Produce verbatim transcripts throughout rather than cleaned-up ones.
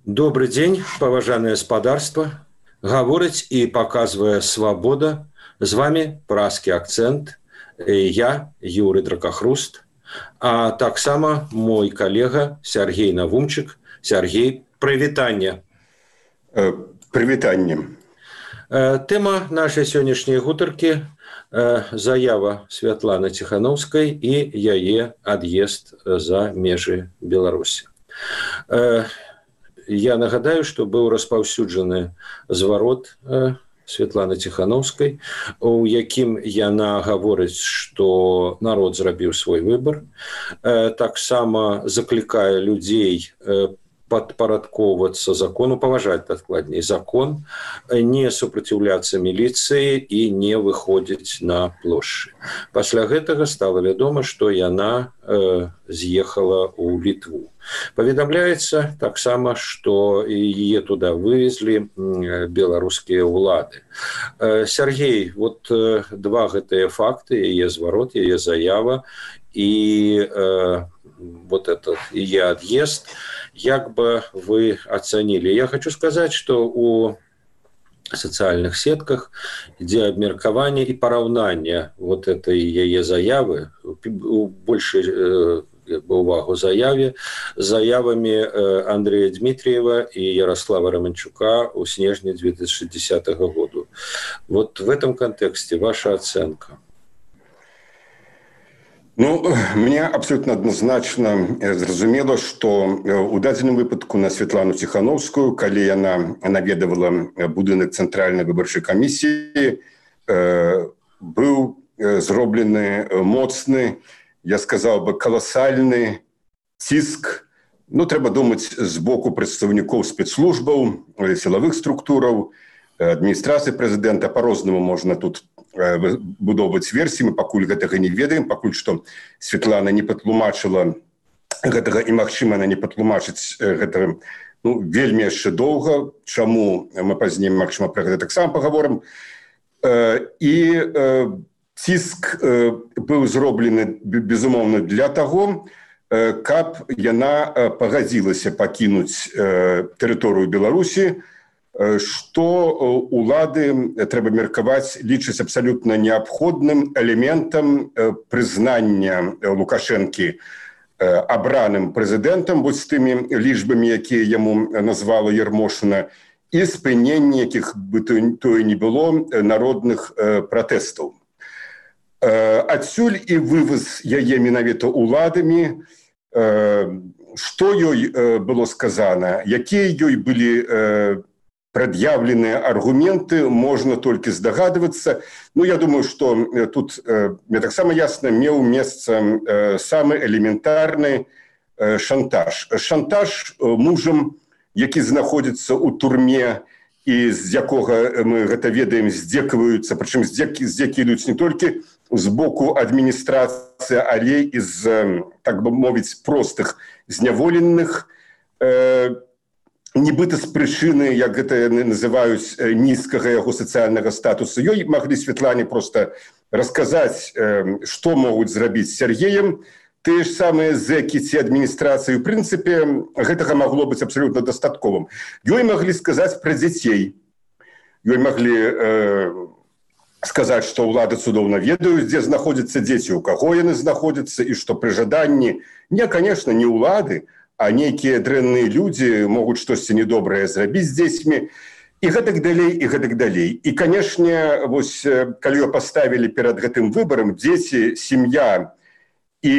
Добрый дзень, паважанае спадарства. Гаворыць і паказвае свабода. З вами празкі акцэнт. Я, Юрый Дракахруст, а таксама мой калега Сергей Навумчык. Сергей, прывітанне. Э, прывітанне. Э, тэма нашай сённяшняй гутаркі э, заява Святланы Ціхановскай і яе ад'езд за межы Беларусі. Э, Я нагадаю, што быў распаўсюджаны зварот э, Святланы Ціхановскай, у якім яна гаворыць, што народ зрабіў свой выбар. Э, таксама заклікае людзей э, падпарадкоўвацца закону, паважаць дакладней закон, не супраціўляцца міліцыі і не выходзіць на плошчы. Пасля гэтага стала вядома, што яна э, з'ехала ў Літву. Паведамляецца таксама, што яе туды вывезлі беларускія ўлады. Э, Сергей, вот э, два гэтыя факты, яе зварот, яе заява і э, вот этот яе ад'езд, як бы вы оценили? Я хочу сказать, что у социальных сетках ідзе абмеркаванне і параўнанне вот этой яе заявы, больше э, увагу заяве, заявами э, Андрея Дмитриева и Ярослава Романчука у снежні две тысячи десятого года. Вот в этом контексте ваша оценка. Ну, мне абсолютно адназначна зразумела, што у дадзеным выпадку на Святлану Ціхановскую, калі яна наведавала будынак цэнтральнай выбарчай камісіі, быў зроблены моцны, я сказаў бы, каласальны ціск. Ну, трэба думаць з боку прадстаўнікоў спецслужбаў, сілавых структураў, адміністрацыі прэзідэнта. Па-рознаму можна тут будоўваць версіі, мы пакуль гэтага не ведаем, пакуль што Святлана не патлумачыла гэтага, і магчыма, она не патлумачыць гэтага, ну, вельмі яшчэ доўга, чаму мы пазней, магчыма, пра гэта таксама пагаворым. І ціск быў зроблены, безумоўна, для таго, каб яна пагадзілася пакінуць тэрыторыю Беларусі, што улады, трэба меркаваць, лічаць абсалютна неабходным элементам прызнання Лукашэнкі абраным прэзідэнтам, вось з тымі лічбамі, якія яму назвала Ярмошына, і спынення, якіх бы тое не было, народных пратэстаў. Адсюль і вываз яе менавіта уладамі, што ёй было сказана, якія ёй былі прад'яўленыя аргументы, можна толькі здагадвацца. Ну, я думаю, што тут, мне таксама ясна, меў месца самы элементарны шантаж. Шантаж мужам, які знаходзіцца ў турме, і з якога, мы гэта ведаем, здзекваюцца, прычым здзекі, здзекі ідуць не толькі з боку адміністрацыі, але і з, так бы мовіць, простых зняволеных, нібыта з прычыны, як гэта яны называюць, нізкага яго сацыяльнага статусу. Ёй маглі Святлане проста расказаць, што могуць зрабіць з Сергеем. Тыя ж самыя зэкі ці адміністрацыі, у прынцыпе, гэтага магло быць абсалютна дастатковым. Ёй маглі сказаць пра дзяцей. Ёй маглі э, сказаць, што ўлады цудоўна ведаюць, дзе знаходзяцца дзеці, у каго яны знаходзяцца, і што пры жаданні, не, конечно, не ўлады, а нейкія дрэнныя людзі могуць штосьці недобрае зрабіць з дзецьмі, і гэтак далей, і гэтак далей. І, канешне, вось, калі ее паставілі перад гэтым выбарам, дзеці, сям'я і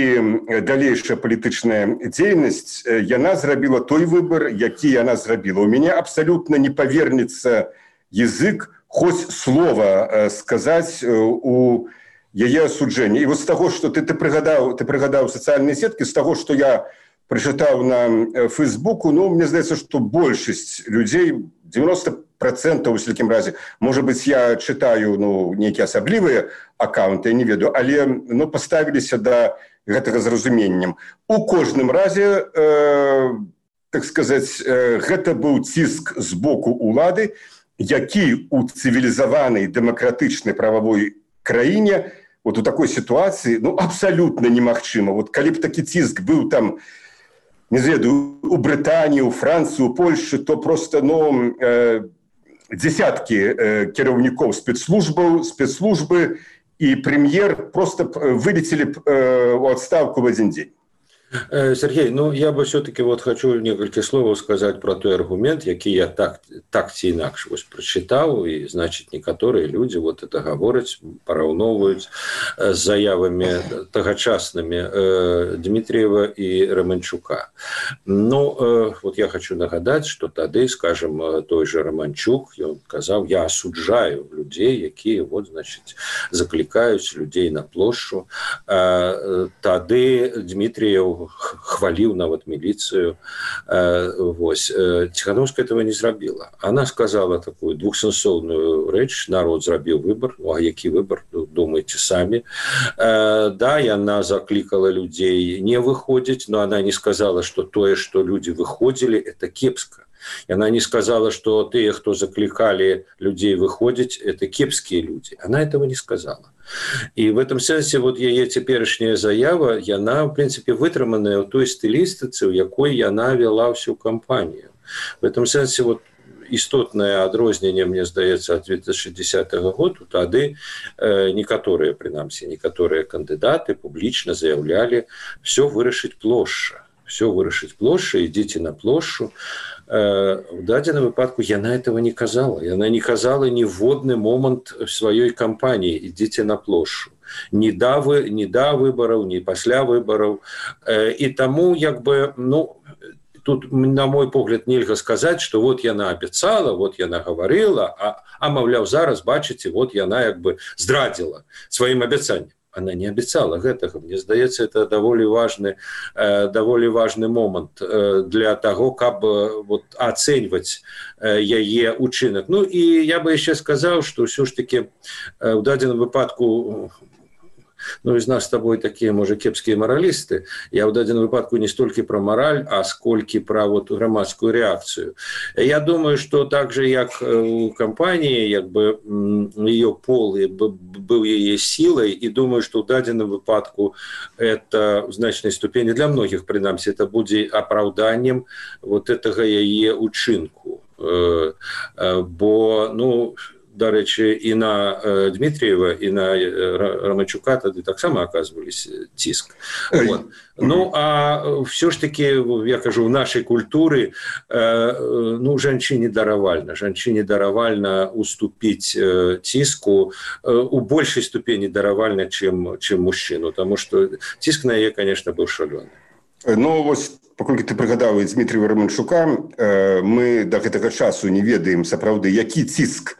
далейшая палітычная дзейнасць, яна зрабіла той выбар, які яна зрабіла. У мяне абсалютна не павернецца язык хоць слова сказаць у яе асуджэнні. І вось з таго, што ты, ты прыгадаў, ты прыгадаў сацыяльныя сеткі, з таго, што я прачытаў на Фейсбуку, ну, мне здаецца, што большасць людзей, девяносто процентов, у всякім разе, можа быць, я чытаю, ну, нейкія асаблівыя аккаунты, я не ведаю, але, ну, паставіліся да гэтага зразуменнем. У кожным разе, э, так сказаць, э, гэта быў ціск з боку улады, які у цывілізаванай дэмакратычнай прававой краіне, вот у такой сітуацыі, ну, абсалютна немагчыма. Вот калі б такі ціск быў там не ведаю, у Брытаніі, у Францыі, у Польшы, то просто ну, э, дзесяткі э, кіраўнікоў спецслужбаў, спецслужбы і прэм'ер просто вылетели б э, у адстаўку в один день. Сергей, ну я бы все-таки вот хочу несколько слов сказать про той аргумент, який я так, так ці інакш вось прочитал, и значит некоторые люди вот это говорят, пораўновывают с заявами тогочасными э, Дмитриева и Романчука. Ну, э, вот я хочу нагадать, что тады, скажем, той же Романчук, он сказал, я осуджаю людей, якія вот, значит, закликают людей на площадь. Э, тады Дмитриев хвалил нават милицию. Вось. Тихановская этого не зрабила. Она сказала такую двухсенсовную речь: народ зрабіў выбор. Ну, а які выбор? Думайте сами. Да, и она закликала людей не выходить, но она не сказала, что то, что люди выходили, это кепско. И она не сказала, что те, кто закликали людей выходить, это кепские люди. Она этого не сказала. И в этом сенсе вот яе цяперашняя заява, яна, в принципе, вытрыманая ў той стылістыцы, у якой яна вела всю кампанию. В этом сенсе вот істотнае адрозненне, мне здаецца, ад две тысячи десятого года, тады э, некаторыя, прынамсі, некаторыя кандыдаты публічна заявлялі: все вырашыць плошча, все вырашыць плошча, ідзіце на плошчу. В дадзеным выпадку яна этого не казала. Яна не казала ніводны момант сваёй кампаніі: ідзіце на плошчу. Ні да, вы, ні да выбараў, ні пасля выбараў. І таму, як бы, ну, тут, на мой погляд, нельга сказаць, што вот яна абяцала, вот яна гаварыла, а, а маўляў, зараз, бачыце, вот яна як бы здрадзіла сваім абяцаннем. Она не обещала гэтага. Мне здаецца, это даволі важны, э, даволі важны момант э, для того, каб э, вот, ацэньваць э, яе учынак. Ну и я бы еще сказал, что все ж таки э, в дадзеным выпадку, ну, из нас с тобой такие, может, кепские моралисты. Я в дадзеным выпадку не столько про мораль, а сколько про вот громадскую реакцию. Я думаю, что так же, как у компании, как бы ее пол был ее силой, и думаю, что в дадзеным выпадку это в значной ступени для многих, принамсі, это будет оправданием вот этого ее учинку. Бо, ну, дарэчы, і на э, Дмитриева, і на э, Романчука тады таксама аказвались ціск. Вот. Ну, а все ж таки, я кажу, в нашей культуры, э, ну, жанчыне даравальна. Жанчыне даравальна уступить э, ціску э, у большей ступени даравальна, чем, чем мужчину, потому что ціск на яе, конечно, был шалёны. Ну, вось, паколькі ты прыгадаў Дмитрия Романчука, э, мы до гэтага часу не ведаем сапраўды, які ціск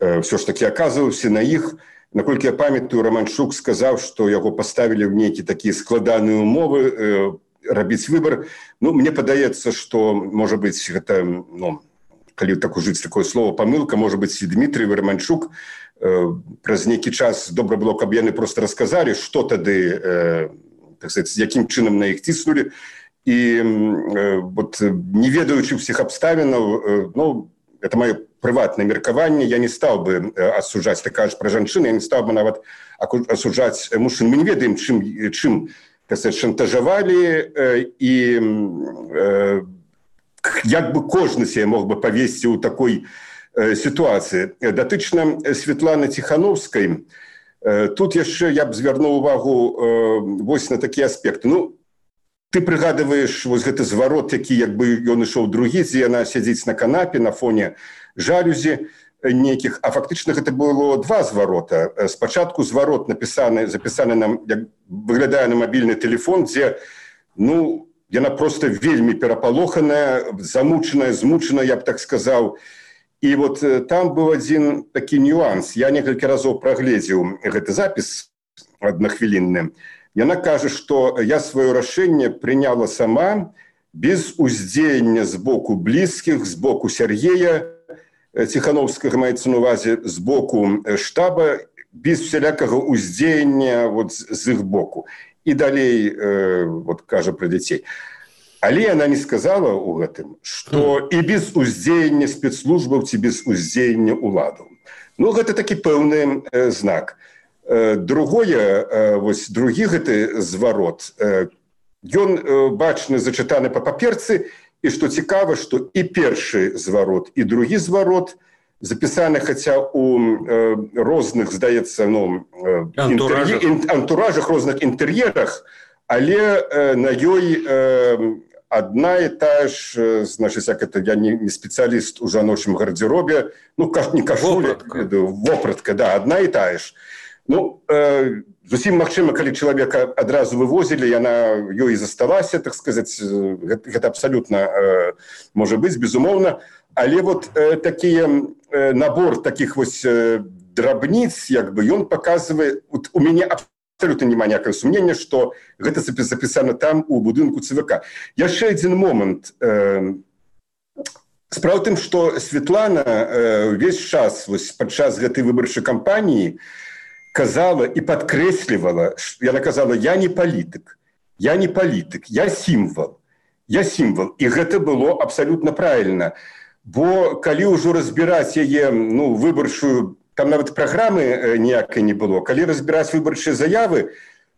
все ж таки оказываўся на іх. Наколькі я памятаю, Романчук сказаў, што яго паставілі ў нейкія такія складаныя умовы э, рабіць выбар. Ну, мне падаецца, што, можа быць, гэта, ну, калі так ужыць такое слово памылка, можа быць, і Дмитрий Романчук э, праз нейкі час добра было, каб яны просто расказалі, што тады, э, так сказать, якім чынам на іх ціснулі. І э, вот, не ведаючы ўсіх абставінаў, э, ну, это мое прыватнае меркаванне, я не стаў бы асуджаць, ты кажаш пра жанчыны, я не стаў бы нават асуджаць мужчын. Мы не ведаем, чым, чым так сказать, шантажавалі, і э, як бы кожны себе мог бы павесці ў такой э, сітуацыі. Датычна Святланы Тихановскай, э, тут яшчэ я б звярнуў увагу э, вось на такія аспекты. Ну, ты прыгадываеш вось гэты зварот, які як бы ён ішоў другі, дзе яна сядзіць на канапе на фоне жалюзі нейкіх, а фактычна гэта было два зварота. Спачатку зварот напісаны, запісаны нам, як выглядае на мабільны телефон, дзе, ну, яна просто вельмі перапалоханая, замучаная, змучаная, я б так сказаў. І вот там быў адзін такі нюанс. Я некалькі разоў прагледзеў гэты запіс аднахвілінны. Яна кажа, што я сваё рашэнне прыняла сама, без уздзеяння з боку блізкіх, з боку Сергея Тихановскага, маецца на увазе, з боку штаба, без всялякага уздзеяння вот з іх боку. І далей, э, вот кажа пра дзяцей. Але яна не сказала ў гэтым, што і без уздзеяння спецслужбаў ці без уздзеяння ўладаў. Ну, гэта такі пэўны э, знак. Другое, вось другі гэты зварот, ён бачны зачытаны па паперцы, і што цікава, што і першы зварот, і другі зварот запісаны хаця у э, розных, здаецца, ну, антуражах. Інтэр'е, антуражах, розных інтэр'ерах, але э, на ёй э, одна і тая ж, значыць, як это, я не, не спецыяліст у жаночым гардзеробе, ну, не кашуля, вопратка, да, одна і тая ж. Ну, э, зусім магчыма, калі чалавека адразу вывозілі, яна ёй засталася, так сказаць, гэта, гэта абсалютна э, можа быць, безумоўна, але вот э, такія, э, набор такіх вось э, драбніц, як бы, ён паказвае, вот, у мяне абсолютно няма ніякага сумнення, што гэта запісана там у будынку ЦВК. Яшчэ адзін момант. Э, справа ў тым, што Светлана э, увесь час вось, падчас гэтай выбарчай кампаніі казала і падкрэслівала, яна казала, я не палітык, я не палітык, я сімвал, я сімвал. І гэта было абсалютна правільна. Бо калі ўжо разбіраць яе, ну, выбарчую, там нават праграмы ніякай не было, калі разбіраць выбарчыя заявы,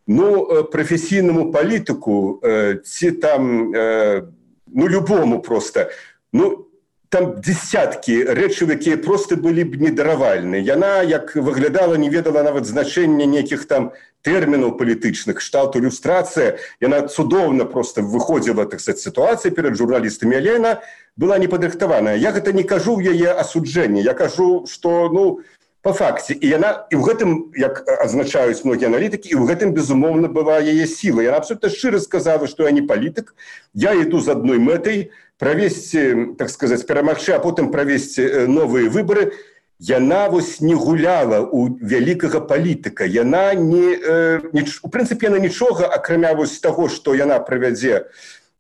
ну, прафесійнаму палітыку ці там, ну, любому проста, ну, там десяткі рэчаў, якія проста былі б недаравальныя. Яна, як выглядала, не ведала нават значэння нейкіх там тэрмінаў палітычных, кшталту ілюстрацыя. Яна цудоўна проста выходзіла, так сказаць, сітуацыі перад журналістамі, але яна была непадрыхтаваная. Я гэта не кажу ў яе асуджэнні, я кажу, што, ну, па факце. І яна, і ў гэтым, як адзначаюць многія аналітыкі, і ў гэтым, безумоўна, была яе сіла. Яна абсолютна шчыра сказала, што я не палітык, я іду з адной мэтай, правесці, так сказаць, перамагчы, а потым правесці новыя выбары. Яна вось не гуляла ў вялікага палітыка. Яна не, э, не, у прынцыпе, яна нічога, акрамя вось таго, што яна правядзе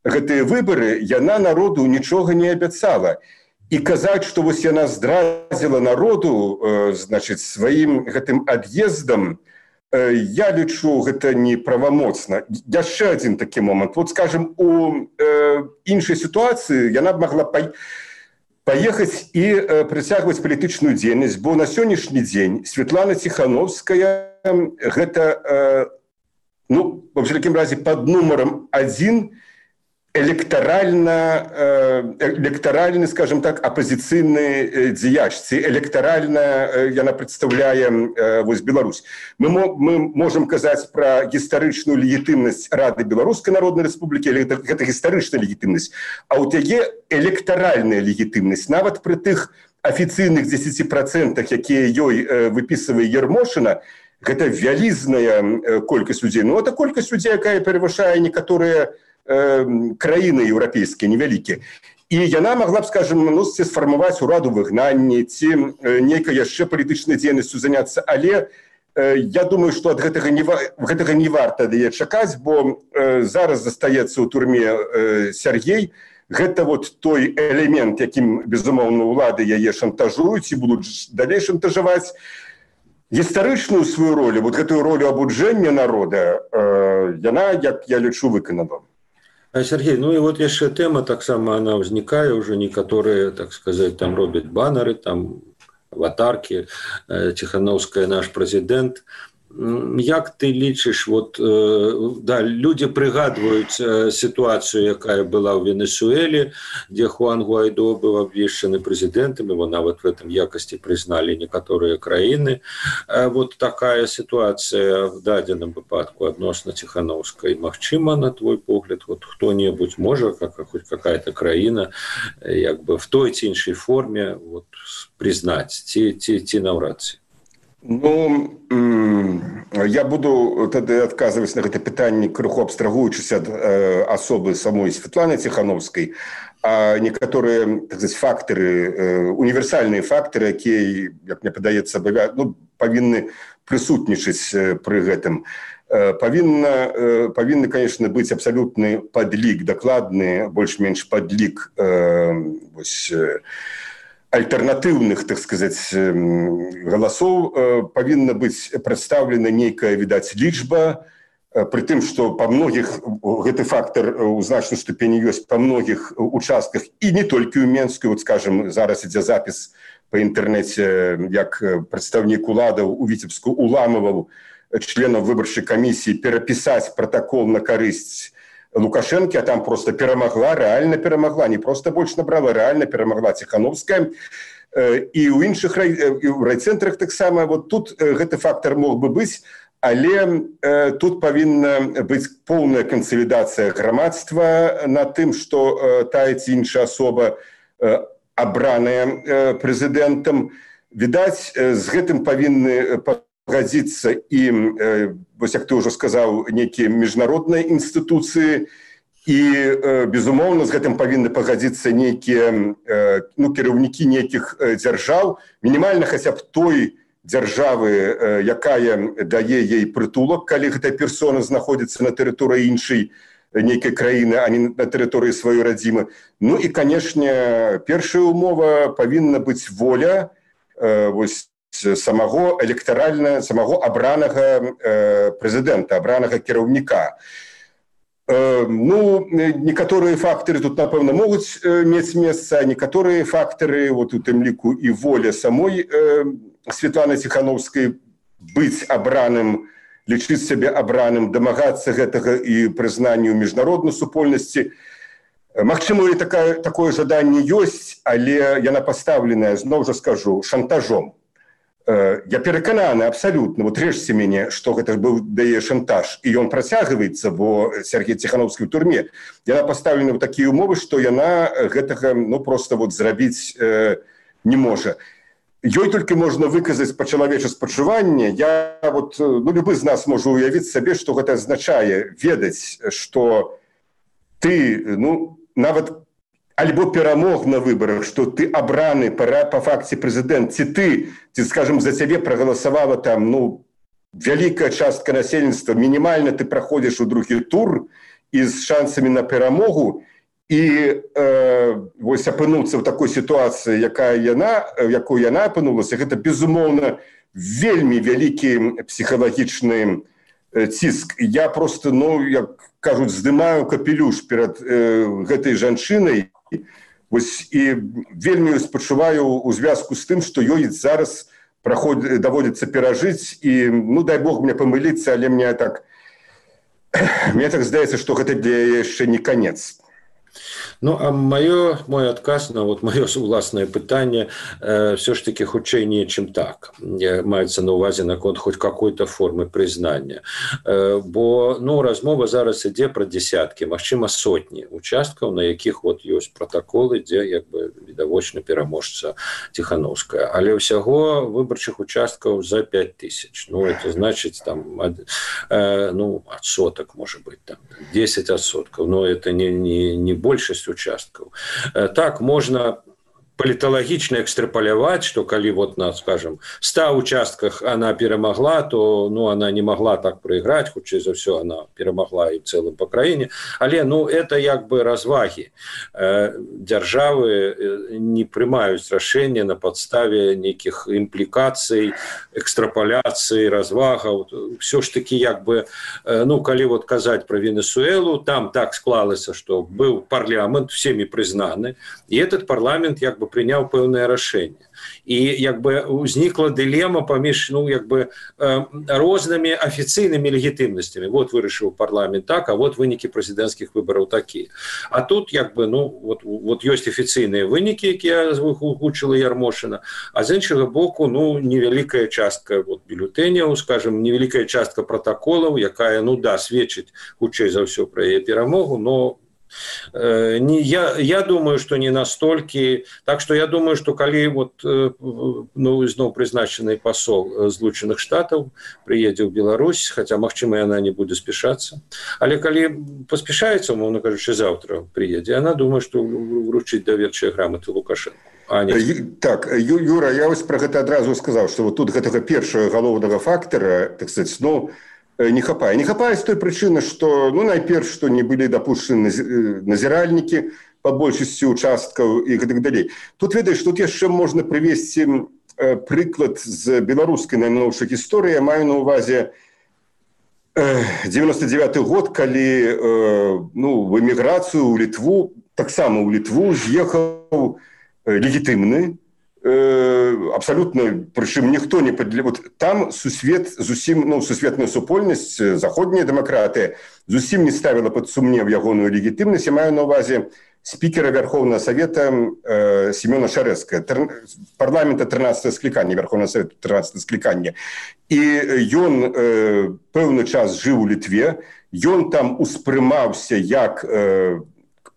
гэтыя выбары, яна народу нічога не абяцала. І казаць, што вось яна здрадзіла народу, э, значыць, сваім гэтым ад'ездам, э, я лічу, гэта неправамоцна. Яшчэ адзін такі момант. Вот, скажем, у э, іншай сітуацыі яна б магла па... паехаць і э, прыцягваць палітычную дзейнасць, бо на сённяшні дзень Светлана Ціхановская гэта, э, ну, во всякім разе, пад нумарам адзін электоральна, электоральны, скажем так, апозіцыйны дзеяч, ці электоральна яна прадстаўляе вось Беларусь. Мы, мы можам казаць пра гістарычную легітымнасць Рады Беларускай Народнай Рэспублікі, але гэта, гэта гістарычная легітымнасць, а ў яе электоральная легітымнасць, нават пры тых афіцыйных дзесяці працэнтах, якія ёй выпісвае Ермошына, гэта вялізная колькасць людзей. Ну, это колькасць людзей, якая перавышае некаторыя краіны еўрапейскія невялікія. І яна могла б, скажем, ну, сфармаваць ураду выгнанні, ці нейкай яшчэ палітычнай дзейнасцю заняцца. Але э, я думаю, што ад гэтага не, гэтага не варта яе чакаць, бо э, зараз застаецца ў турме э, Сяргей. Гэта вот той элемент, якім, безумоўна, улады яе шантажуюць і будуць далей шантажаваць. Гістарычную сваю ролю, вот гэтую ролю абуджэння народа, э, яна, як я лічу, выканала. Сергей, ну и вот яшчэ тэма таксама она ўзнікае, уже некаторыя, так сказать, там робяць баннеры, там аватарки, Ціхановская наш прэзідэнт. Як ты лічыш, вот, да, люди прыгадваюць сітуацыю, якая была ў Венесуэле, дзе Хуан Гуайдо быў абвешчаны прэзідэнтам, его нават в этом якасці прызналі некаторыя краіны. Вот такая сітуацыя в дадзеным выпадку адносна Ціхановскай. Магчыма, на твой погляд, вот хто-небудзь можа, как, хоть какая-то краіна, як бы в той ці іншай форме вот, признаць, ці, ці, ці наўрад ці? Ну, я буду тады адказваць на гэта пытанне, крыху абстрагуючыся ад э, асобы самой Светланы Ціхановскай, а некаторыя, так сказать, фактары, э, універсальныя фактары, якія, як мне падаецца, ну, павінны прысутнічаць э, пры гэтым. Э, павінна, э, павінны, конечно, быць абсалютны падлік, дакладны, больш-менш падлік э, вось, э, альтэрнатыўных, так сказать, галасоў, павінна быць прадстаўлена нейкая, відаць, лічба, пры тым, што па многіх, гэты фактар у значнай ступені ёсць па многіх участках, і не толькі ў Менску, вот, скажем, зараз ідзе запіс па інтэрнэце, як прадстаўнік уладаў у Віцебску уламываў членаў выбарчай камісіі перапісаць пратакол на карысць Лукашэнкі, а там просто перамагла, рэальна перамагла, не просто больш набрала, рэальна перамагла Ціхановская. І ў іншых райцэнтрах таксама. Вот тут гэты фактор мог бы быць, але тут павінна быць поўная кансалідацыя грамадства на тым, што тая ці іншая асоба абраная прэзідэнтам. Відаць, з гэтым павінны пагадзіцца і, вось як ты ўжо сказаў, нейкія міжнародныя інстытуцыі, і, безумоўна, з гэтым павінны пагадзіцца нейкія, ну, кіраўнікі нейкіх дзяржаў, мінімальна хаця б той дзяржавы, якая дае ей прытулак, калі гэтая персона знаходзіцца на тэрыторыі іншай нейкай краіны, а не на тэрыторыі сваёй радзімы. Ну і, канешне, першая умова павінна быць воля вось самого электаральна, самого абранага прэзідэнта, абранага кіраўніка. Ну, некаторыя фактары тут, напэўна, могуць мець месца, а некаторыя фактары, вот у тым ліку і воля самой Святланы Ціхановскай быць абраным, лічыць сябе абраным, дамагацца гэтага і прызнанню міжнароднай супольнасці. Магчыма, і такая, такое жаданне ёсць, але яна пастаўленая, зноў жа скажу, шантажом. Я перакананы абсалютна, вот рэжце мяне, што гэта быў дае шантаж, і ён працягваецца, бо Сергей Ціхановскі ў турме. Яна пастаўлена ў такія ўмовы, што яна гэтага, ну, проста вот зрабіць э, не можа. Ёй толькі можна выказаць па-чалавечы спачуванне. Я вот, ну, любы з нас можа уявіць сабе, што гэта азначае ведаць, што ты, ну, нават альбо перамог на выбарах, што ты абраны па, па факце прэзідэнт, ці ты, ці, скажем, за цябе прагаласавала там, ну, вялікая частка насельніцтва, мінімальна ты праходзіш у другі тур і з шансамі на перамогу, і э, вось апынуцца ў такой сітуацыі, якая яна, якой яна апынулася, гэта, безумоўна, вельмі вялікі псіхалагічны ціск. Я просто, ну, як кажуць, здымаю капелюш перад э, гэтай жанчынай, вось, і вельмі спачуваю у звязку з тым, што ёй зараз праход, даводзіцца перажыць, і, ну, дай Бог мне памыліцца, але мне так, мне так здаецца, што гэта для яшчэ не канец. Ну, а маё, мой адказ на вот маё уласнае пытанне э, все ж таки хутчэй не чым так. Маецца на увазе наконт хоць какой-то формы прызнання. Э, бо, ну, размова зараз ідзе пра дзесяткі, магчыма, сотні участкаў, на якіх вот ёсць пратаколы, дзе як бы відавочна пераможца Ціхановская. Але ўсяго выбарчых участкаў за пять тысяч. Ну, это значыць там ад, э, ну, адсотак, можа быць, там десять адсоткаў, но это не, не, не большасць участкаў. Так, можна паліталагічна экстрапаляваць, што калі вот на, скажем, ста участках она перамагла, то, ну, она не могла так прайграць, хутчэй за ўсё она перамагла і ў цэлым па краіне. Але, ну, это як бы развагі. Дзяржавы не прымаюць рашэння на падставе нейкіх імплікацый, экстрапаляцый, развагаў. Всё ж таки, як бы, ну, калі вот казаць пра Венесуэлу, там так склалася, што быў парламент, всеми прызнаны, і этот парламент як бы прыняў пэўнае рашэнне. І як бы узнікла дылема паміж, ну, як бы э, рознымі афіцыйнымі легітымнасцямі. Вот вырашыў парламент так, а вот вынікі прэзідэнцкіх выбараў такія. А тут як бы, ну, вот, вот ёсць афіцыйныя вынікі, якія агучыла Ярмошына, а з іншага боку, ну, невялікая частка вот бюлетэняў, скажем, невялікая частка пратаколаў, якая, ну, да, сведчыць хутчэй за ўсё пра яе перамогу, но Не, я, я думаю, что не настолько. Так что я думаю, что коли вот, ну, зноў призначенный посол Злучаных Штатов приедет в Беларусь, хотя, магчыма, она не будет спешаться, але коли поспешается, умовно кажучи, завтра приедет, она думает, что вручить доверчыя грамоты Лукашенко. А, так, Юра, я вось про гэта адразу сказал, что вот тут гэтага першага галоўнага фактора, так сказать, ну, не хапае. Не хапае з той прычыны, што, ну, найперш, што не былі дапушчаны назіральнікі па большасці участкаў і гэтак далей. Тут, ведаеш, тут яшчэ можна прывесці прыклад з беларускай найноўшай гісторыі. Я маю на ўвазе девяносто девятый год, калі, ну, в эміграцыю ў Літву, таксама ў Літву з'ехаў легітымны абсолютно, причем никто не подле... вот там сусвет зусім, ну, сусветная супольнасць, заходняя дэмакратыя зусім не ставила под сумнев ягоную легітымнасць. Я маю на увазе спикера Верховного Совета э, Семена Шарэцкага, тр... парламента тринадцатого склікання, Верховного Совета тринадцатого склікання. І ён э, пэўны час жыў у Літве, ён там успрымаўся як э,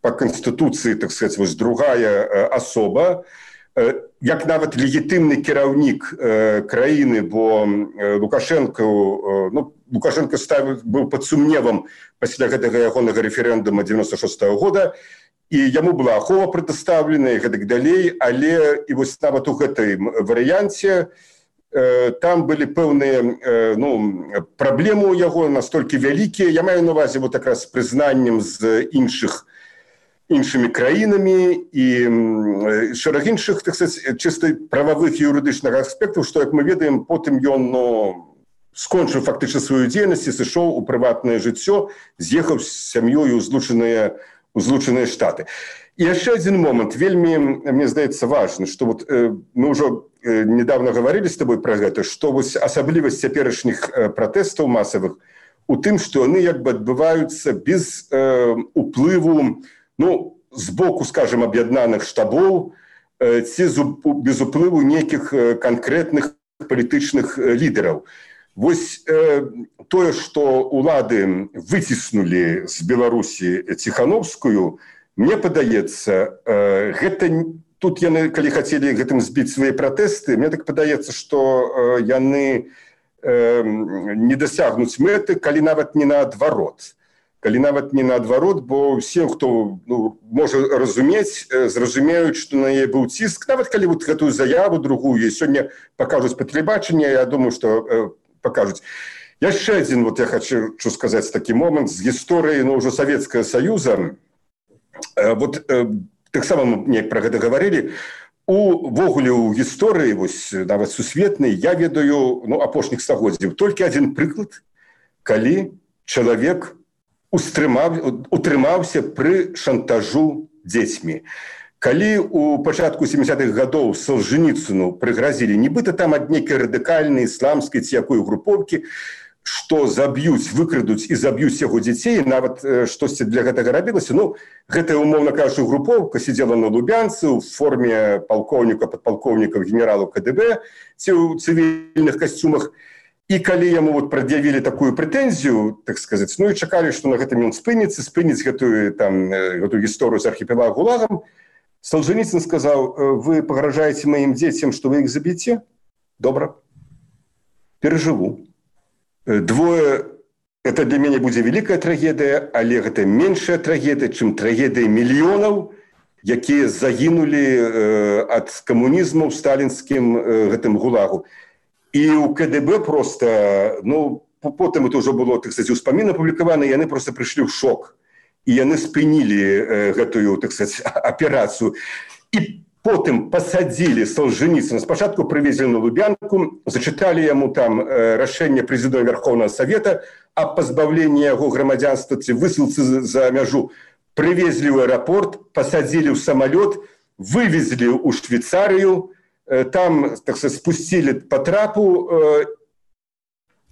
по Конституцыі, так сказать, вось другая э, асоба, як нават легітымны кіраўнік э, краіны, бо э, Лукашенко, э, ну, Лукашенко ставил, быў пад сумневам пасля гэтага ягонага рэферэндума девяносто шестого года, і яму была ахова прадастаўлена і гэтак далей, але і вось нават у гэтай варыянце э, там былі пэўныя э, ну, праблемы ў яго настолькі вялікія. Я маю на увазе вот якраз прызнаннем з іншых іншымі краінамі і шэраг іншых, так сказать, чыста прававых і юрыдычных аспектаў, што, як мы ведаем, потым ён ну, скончыў фактычна сваю дзейнасць і сышоў у прыватнае жыццё, з'ехаў з сям'ёю ў злучаныя, ў злучаныя штаты. І яшчэ адзін момант, вельмі, мне здаецца, важны, што вот, э, мы ўжо э, недавно гаварылі з табой пра гэта, што вось асаблівасць цяперашніх э, пратэстаў масавых у тым, што яны як бы адбываюцца без э, уплыву, ну, з боку, скажем, аб'яднаных штабоў, ці без уплыву нейкіх канкрэтных палітычных лідараў. Вось э, тое, што улады выціснулі з Беларусі Ціхановскую, мне падаецца, э, гэта, тут яны, калі хацелі гэтым збіць свае пратэсты, мне так падаецца, што э, яны э, не дасягнуць мэты, калі нават не наадварот. Калі нават не наадварот, бо ўсе, хто ну, можа разумець, зразумеюць, што на яе быў ціск. Нават калі вот гэтую заяву другую сёння пакажуць па тэлебачанні, я думаю, што э, пакажуць. Яшчэ адзін, вот я хочу сказаць такі момант з гісторыі ну, ўжо Савецкага Саюза. Э, вот э, таксама мы неяк пра гэта гаварылі. Увогуле ў гісторыі, вось, нават сусветнай, я ведаю ну, апошніх стагоддзяў толькі адзін прыклад, калі чалавек утрымаўся пры шантажу дзецьмі. Калі у пачатку сямідзясятых гадоў Солженіцыну прыгразілі, нібыта там ад нейкай радыкальнай ісламскай ці якой групоўкі, што заб'юць, выкрадуць і заб'юць яго дзяцей, нават э, штосьці для гэтага рабілася. Ну, гэтая, умоўна кажучы, групоўка сидзела на Лубянцы ў форме палкоўніка, падпалкоўнікаў, генералаў ка дэ бэ ці ў цывільных касцюмах. І калі яму вот прад'явілі такую прэтэнзію, так сказаць, ну і чакалі, што на гэтым ён спыніцца, спыніць гэтую, там, гэтую гісторыю з архіпелаг ГУЛАГам, Солженіцын сказаў: вы пагражаеце маім дзецям, што вы іх заб'еце? Добра. Перажыву. Двое, это для мяне будзе вялікая трагедыя, але гэта меншая трагедыя, чым трагедыя мільёнаў, якія загінулі э, ад камунізму ў сталінскім э, гэтым ГУЛАГу. І ў ка дэ бэ просто, ну, потым это ўжо было, так сказать, успамін апублікаваны, яны просто прыйшлі ў шок. І яны спынілі э, гэтую, так сказать, аперацыю. І потым пасадзілі Солженіцына. Спачатку прывезлі на Лубянку, зачыталі яму там э, рашэнне прэзідэнта Верховного Совета аб пазбаўленні яго грамадзянства ці высылцы за мяжу. Прывезлі ў аэрапорт, пасадзілі ў самалёт, вывезлі ў Швейцарыю, там, так сказать, спусцілі по трапу, э,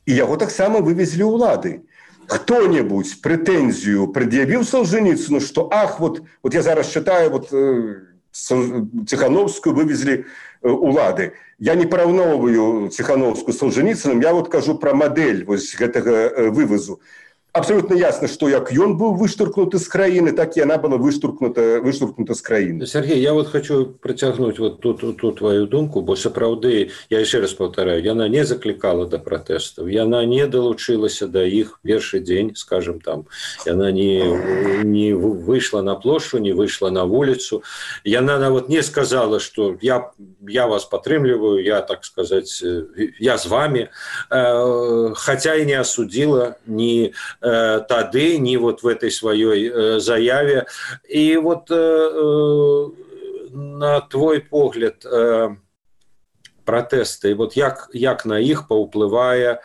і яго таксама вывезлі ўлады. Хто-небудзь прэтэнзію прад'явіў Солженіцыну, што ах, вот, вот я зараз чытаю, вот, э, Ціхановскую вывезлі э, ўлады. Я не параўноўваю Ціхановскую з Солженіцыным, я вот кажу пра мадэль вось гэтага э, вывазу. Абсолютно ясно, что як ён был выштуркнуты з краіны, так и она была выштуркнута, выштуркнута з краіны. Сергей, я вот хочу притягнуть вот ту, ту, ту твою думку, бо сапраўды, я еще раз повторяю, яна не закликала до протестов, яна не долучилася до их першы день, скажем там, яна не, не вышла на площадь, не вышла на улицу, яна вот не сказала, что я, я вас подтрымліваю, я, так сказать, я с вами, хотя и не осудила ни тады, не вот в этой своей э, заяве. И вот э, э, на твой погляд, э, пратэсты, вот як, як на іх паўплывае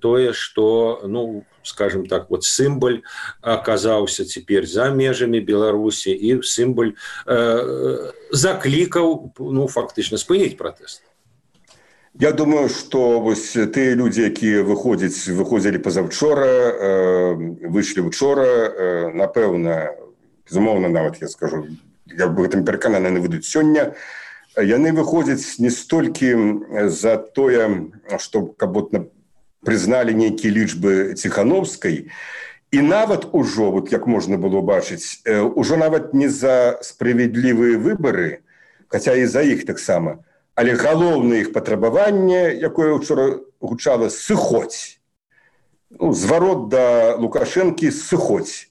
тое, што, ну, скажем так, вот сімвал аказаўся цяпер за межамі Беларусі і сімвал э, заклікаў, ну, фактычна спыніць пратэст. Я думаю, што вось тыя людзі, якія выходзяць, выходзілі пазаўчора, э, выйшлі учора, э, напэўна, безумоўна, нават я скажу, я бы гэтым перакананы, яны выйдуць сёння, яны выходзяць не столькі за тое, што каб вот прызналі нейкія лічбы Ціхановскай, і нават ужо, вот як можна было бачыць, ужо нават не за справядлівыя выбары, хаця і за іх таксама, але галоўнае іх патрабаванне, якое ўчора гучала, сыходзь. Ну, зварот да Лукашэнкі, сыходзь.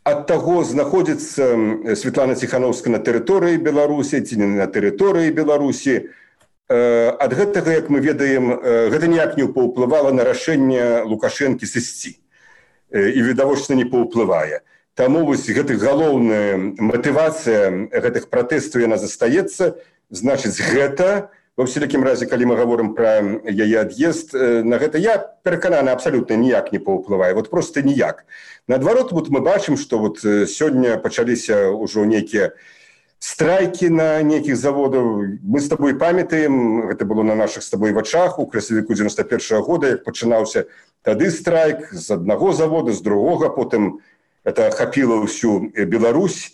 Ад таго, знаходзіцца Святлана Ціхановская на тэрыторыі Беларусі ці не на тэрыторыі Беларусі. Ад гэтага, як мы ведаем, гэта ніяк не паўплывала на рашэнне Лукашэнкі сысці. І, відавочна, не паўплывае. Таму вось гэтых галоўная матывацыя гэтых пратэстаў яна застаецца. Значыць, гэта, ва ўсялякім разе, калі мы гаворым пра яе ад'езд, на гэта я перакананы абсалютна ніяк не паўплывае, вот просто ніяк. Наадварот, вот мы бачым, што вот сёння пачаліся ўжо нейкія страйкі на нейкіх заводаў. Мы з табой памятаем, гэта было на нашых з табой вачах у красавіку дзевяноста першага года, як пачынаўся тады страйк з аднаго завода, з другога, потым это ахапіла ўсю Беларусь.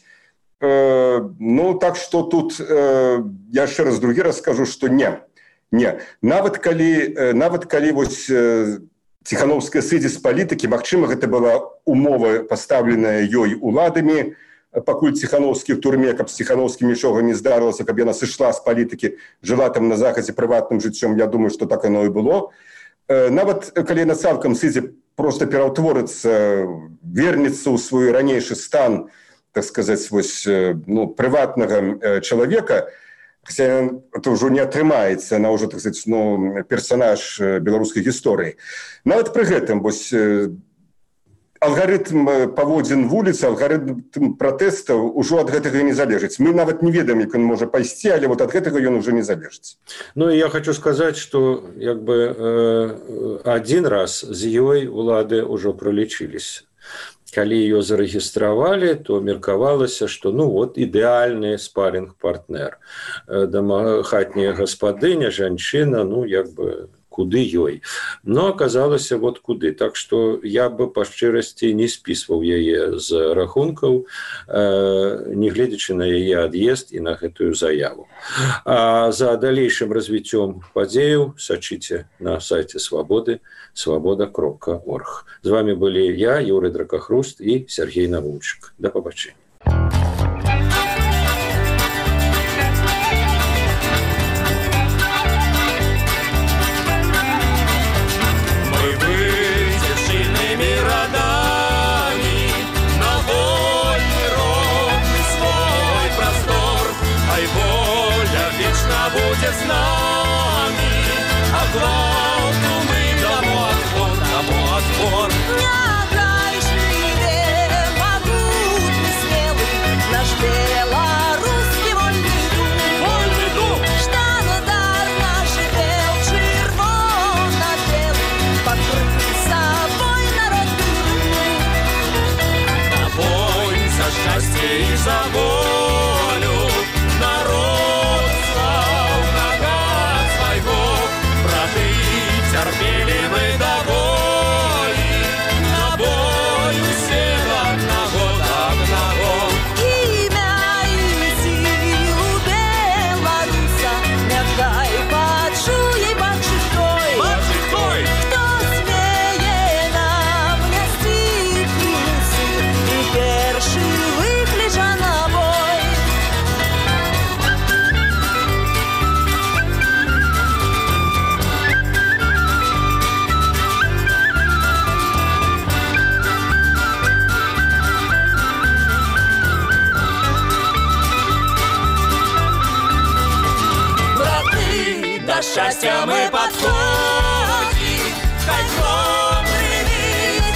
Э, ну, так што тут э, я яшчэ раз другі раз скажу, што не. Не. Нават калі, э, нават калі вось э, Ціхановская сыдзе з палітыкі, магчыма, гэта была умова, пастаўленая ёй уладамі, пакуль Ціхановскі в турме, каб з Ціхановскім нічога не здарылася, каб яна сышла з палітыкі, жыла там на захадзе прыватным жыццём, я думаю, што так оно і было. Нават калі яна цалкам сыдзе проста пераўтворыцца, вернецца ў свой ранейшы стан, так сказаць, вось, ну, прыватнага чалавека, хаця это ўжо не атрымаецца, она ўжо, так сказаць, ну, персанаж беларускай гісторыі. Нават пры гэтым, вось, алгарытм паводзін вуліцы, алгарытм пратэстаў ужо ад гэтага не залежыць. Мы нават не ведаем, як ён можа пайсці, але вот ад гэтага ён уже не залежыць. Ну, і я хочу сказаць, што як бы э, адзін раз з ёй улады ўжо пралічыліся. Калі ее зарэгістравалі, то меркавалася, што ну вот ідэальны спарінг-партнер. Хатняя гаспадыня, жанчына, ну як бы куды ёй. Но аказалася вот куды. Так што я бы па шчырасці не спісваў яе з рахункаў, э, не гледзячы на яе ад'езд і на гэтую заяву. А за далейшым развіццём падзеяў сачыце на сайце Свабоды, свабода кропка орг. З вами былі я, Юрый Дракахруст і Сергей Навунчык. Да пабачэння. Будет с нами, а главку мы дамо отпор, дамо отпор. Неограниченный, могутный, смелый наш белорусский вольный дух, вольный дух. Штандар наш бел, червоно-белый, покрытый собой народный дух. На бой за счастье и за волю народ. Терпели мы до боли, на бой всех одного, одного. Имя и силу белоруса мягкай почуй большой, большой. Кто смее нам нести плюсы и перши выклича на бой. Счастья мы подходим, хай громный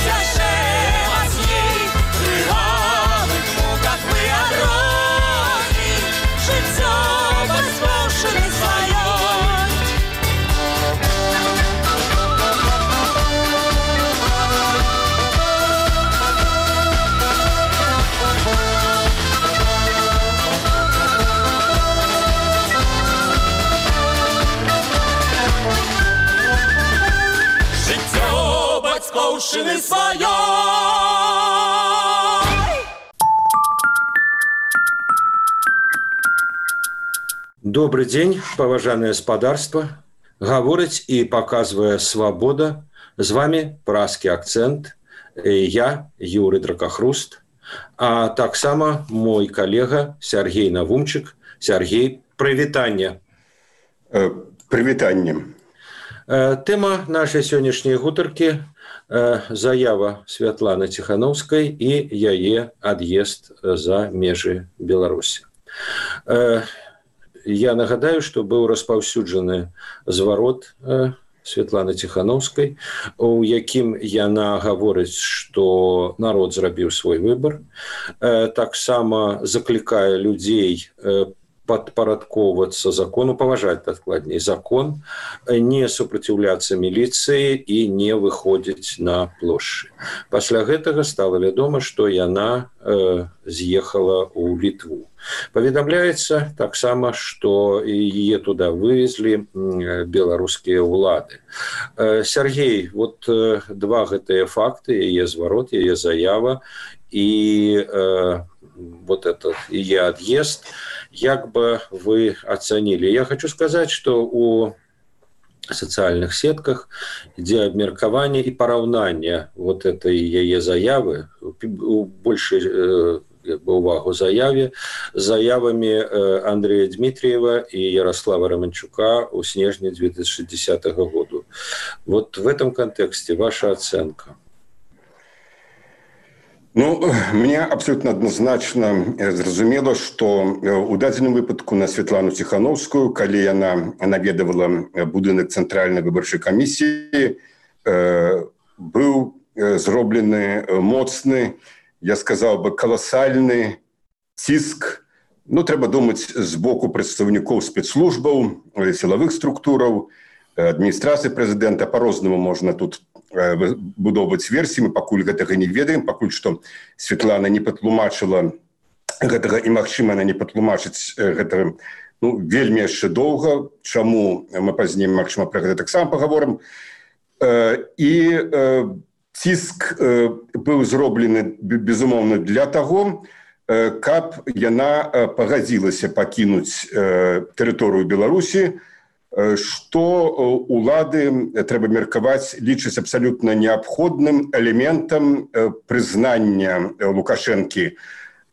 тяжелый вас ей, крылавых муках мы отроним, житё возможно своё. спадчыны сваёй. Добрый день, паважанае спадарства. Гаворыць і паказвае свабода. З вами празкі акцэнт. Я, Юрый Дракахруст, а таксама мой калега Сергей Навумчык. Сергей, прывітанне. Прывітанне. Тэма нашай сённяшняй гутаркі заява Святланы Ціханаўскай і яе ад'езд за межы Беларусі. Я нагадаю, што быў распаўсюджаны зварот Святланы Ціханаўскай, у якім яна гаворыць, што народ зрабіў свой выбар. Таксама заклікае людзей падпарадкоўвацца закону, паважаць дакладней закон, не супраціўляцца міліцыі і не выходзіць на плошчы. Пасля гэтага стала вядома, што яна э, з'ехала ў Літву. Паведамляецца таксама, што яе туды вывезлі беларускія ўлады. Э, Сергей, вот э, два гэтыя факты, яе зварот, яе заява і э, вот этот яе ад'езд, як бы вы оценили? Я хочу сказать, что у социальных сетках ідзе абмеркаванне і параўнанне вот этой яе заявы, больше як бы увагу заяве, заявами Андрея Дмитриева и Ярослава Романчука у снежні две тысячи десятого года. Вот в этом контексте ваша оценка. Ну, мне абсолютно адназначна зразумела, што у дадзеным выпадку на Святлану Ціханаўскую, калі яна наведавала будынак цэнтральнай выбарчай камісіі, быў зроблены моцны, я сказаў бы, каласальны ціск. Ну, трэба думаць з боку прадстаўнікоў спецслужбаў, сілавых структураў, адміністрацыі прэзідэнта. Па-рознаму можна тут будоўваць версіі, мы пакуль гэтага не ведаем, пакуль што Святлана не патлумачыла гэтага, і магчыма, она не патлумачыць гэтага, ну, вельмі яшчэ доўга, чаму мы пазней, магчыма, пра гэта таксама пагаворым. І ціск быў зроблены, безумоўна, для таго, каб яна пагадзілася пакінуць тэрыторыю Беларусі, што улады, трэба меркаваць, лічаць абсалютна неабходным элементам прызнання Лукашэнкі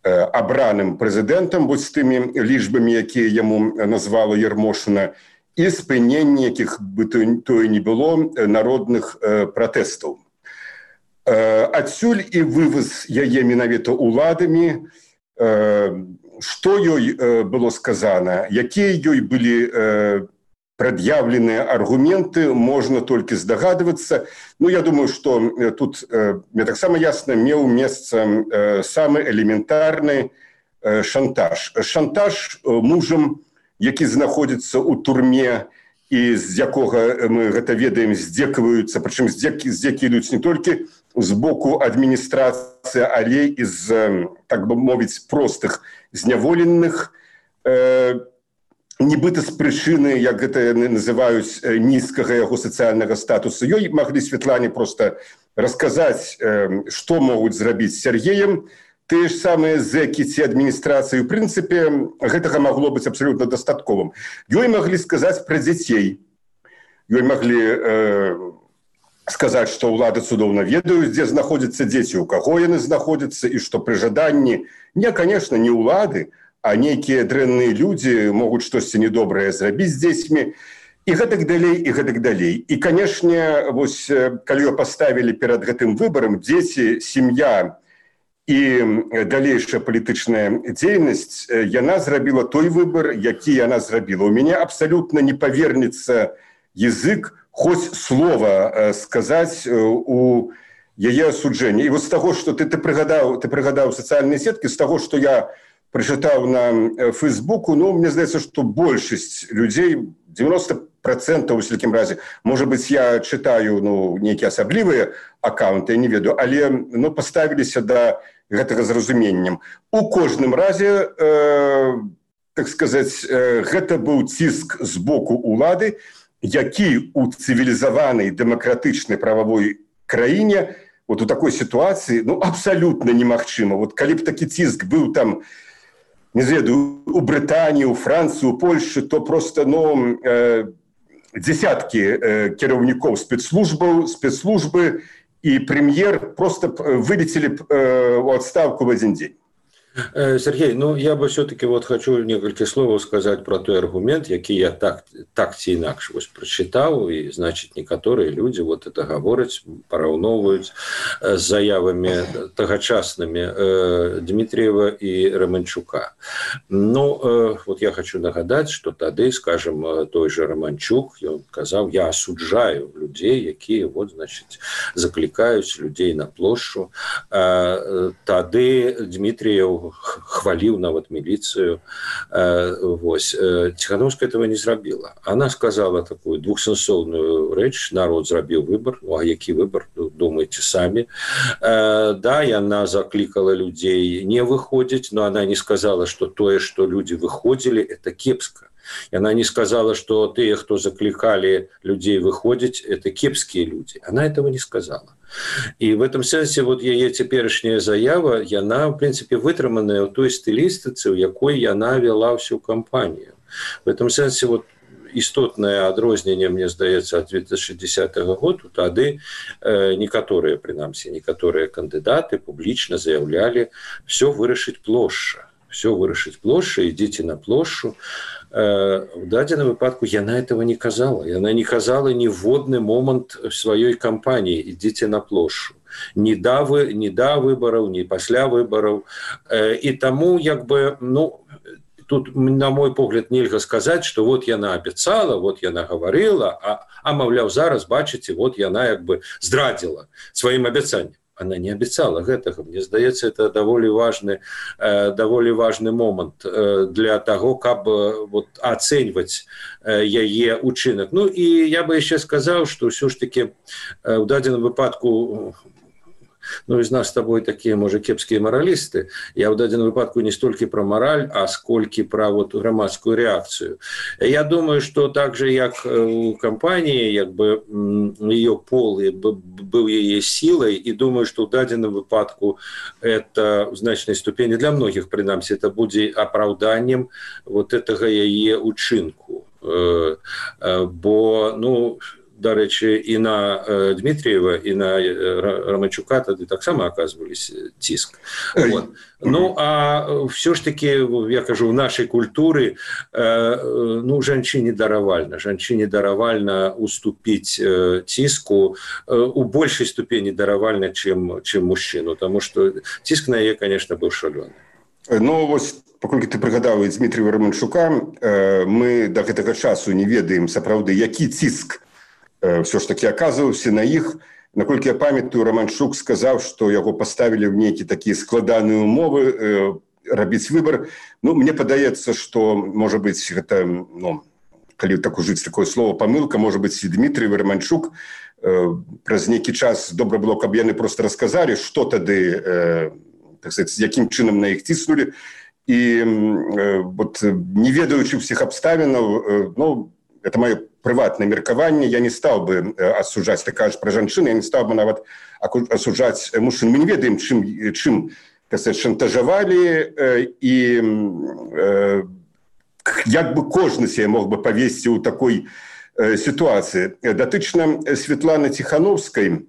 абраным прэзідэнтам, вось з тымі лічбамі, якія яму назвала Ярмошына, і спынення, якіх бы тое не было, народных пратэстаў. Адсюль і вываз яе менавіта уладамі, што ёй было сказана, якія ёй былі предъявленные аргументы, можно только здогадываться. Ну, я думаю, что тут, мне так само ясно, меў месца самый элементарный шантаж. Шантаж мужем, які знаходится у турме, и з якога мы гэта ведаем, здзекваюцца, прычым здзекі, здзекі ідуць не толькі з боку адміністрацыі, але і з, так бы мовіць, простых зняволеных, нібыта з прычыны, як гэта называюць, нізкага яго сацыяльнага статусу. Ёй маглі Святлане просто расказаць, што могуць зрабіць з Сергеем. Тыя ж самыя зэкі ці адміністрацыі, у прынцыпе, гэтага магло быць абсалютна дастатковым. Ёй маглі сказаць пра дзяцей. Ёй маглі э, сказаць, што ўлады цудоўна ведаюць, дзе знаходзяцца дзеці, у каго яны знаходзяцца, і што пры жаданні, не, конечно, не ўлады, а нейкія дрэнныя людзі могуць штосьці недобрае зрабіць з дзецьмі, і гэтак далей, і гэтак далей. І, канешне, вось, калі ее паставілі перад гэтым выбарам, дзеці, сям'я і далейшая палітычная дзейнасць, яна зрабіла той выбар, які яна зрабіла. У мяне абсалютна не павернецца язык хоць слова сказаць у яе асуджэнні. І вось з таго, што ты, ты прыгадаў, ты прыгадаў сацыяльныя сеткі, з таго, што я прачытаў на Фейсбуку, ну, мне здаецца, што большасць людзей, девяносто процентов, у всякім разе, может быть, я читаю, ну, нейкія асаблівыя аккаунты, я не ведаю, але, ну, поставіліся да гэтага зразуменнем. У кожным разе, э, так сказаць, э, гэта быў ціск з боку улады, які у цывілізаванай дэмакратычнай прававой краіне вот у такой ситуации, ну, абсолютно немагчыма. Вот калі б такі ціск быў там, не ведаю, у Брытаніі, у Францыі, у Польшы, то просто, ну, э, десятки э, кіраўнікоў спецслужбаў, спецслужбы и премьер просто вылетели э, в отставку в один день. Сергей, ну я бы все-таки вот хочу несколько слов сказать про той аргумент, який я так, так ці інакш вось прочитал, и значит некоторые люди вот это говорят, пораўноўваюць с заявами тагачасными э, Дмитриева и Романчука. Ну, э, вот я хочу нагадать, что тады, скажем, той же Романчук, он сказал, я осуджаю людей, якія вот, значит, закликаюць людей на площу. Э, тады Дмитриев хвалил нават милицию. Вось. Тихановская этого не зрабила. Она сказала такую двухсенсовную речь: народ зрабіў выбор. Ну, а які выбор? Думайте сами. Да, и она закликала людей не выходить, но она не сказала, что то, что люди выходили, это кепско. И она не сказала, что те, кто закликали людей выходить, это кепские люди. Она этого не сказала. И в этом сенсе вот яе цяперашняя заява, яна, в принципе, вытрыманая ў той стылістыцы, у якой яна вела всю кампанию. В этом сенсе вот істотнае адрозненне, мне здаецца, ад две тысячи десятого года, тады э, некаторыя, прынамсі, некаторыя кандыдаты публічна заявлялі: все вырашыць плошча, все вырашыць плошча, ідзіце на плошчу. В дадзеным выпадку яна этого не казала. Яна не казала ніводны момант сваёй кампаніі: ідзіце на плошчу. Ні да, вы, ні да выбараў, ні пасля выбараў. І таму, як бы, ну, тут, на мой погляд, нельга сказаць, што вот яна абяцала, вот яна гаварыла, а, а маўляў, зараз, бачыце, вот яна як бы здрадзіла сваім абяцаннем. Она не обещала гэтага. Мне здаецца, это даволі важны, э, даволі важны момант э, для того, каб э, вот, ацэньваць э, яе учынак. Ну и я бы еще сказал, что все ж таки э, в дадзеным выпадку, ну, из нас с тобой такие, может, кепские моралисты, я в дадзеным выпадку не столько про мораль, а сколько про вот громадскую реакцию. Я думаю, что так же, как у компании, как бы ее пол был ее силой, и думаю, что в дадзеным выпадку это в значной ступени для многих, принамсі, это будет оправданием вот этого ее учинку. Бо, ну, дарэчы, і на э, Дмитриева, і на э, Романчука тады таксама аказвались ціск. Вот. Ну, а все ж таки, я кажу, в нашей культуре, э, ну, жанчыне даравальна. Жанчыне даравальна уступить э, ціску э, у большей ступени даравальна, чем, чем мужчину, потому что ціск на яе, конечно, был шалёны. Ну, вось, паколькі ты прыгадаў Дмитрия Романчука, э, мы до гэтага часу не ведаем сапраўды, які ціск все ж таки оказываўся на іх. Наколькі я памятаю, Романчук сказаў, што яго паставілі ў нейкія такія складаныя умовы э, рабіць выбар. Ну, мне падаецца, што, можа быць, гэта, ну, калі так ужыць такое слово памылка, можа быць, і Дмитрий Романчук э, праз нейкі час добра было, каб яны просто расказалі, што тады, э, так сказать, якім чынам на іх ціснулі. І э, вот, не ведаючы ўсіх абставінаў, э, ну, это мое прыватнае меркаванне, я не стал бы асуджаць, ты кажаш пра жанчын, я не стал бы нават асуджаць мужчын. Мы не ведаем, чым, чым шантажавалі, і э, як бы кожны себе мог бы павесці ў такой э, сітуацыі. Датычна Святланы Тихановскай,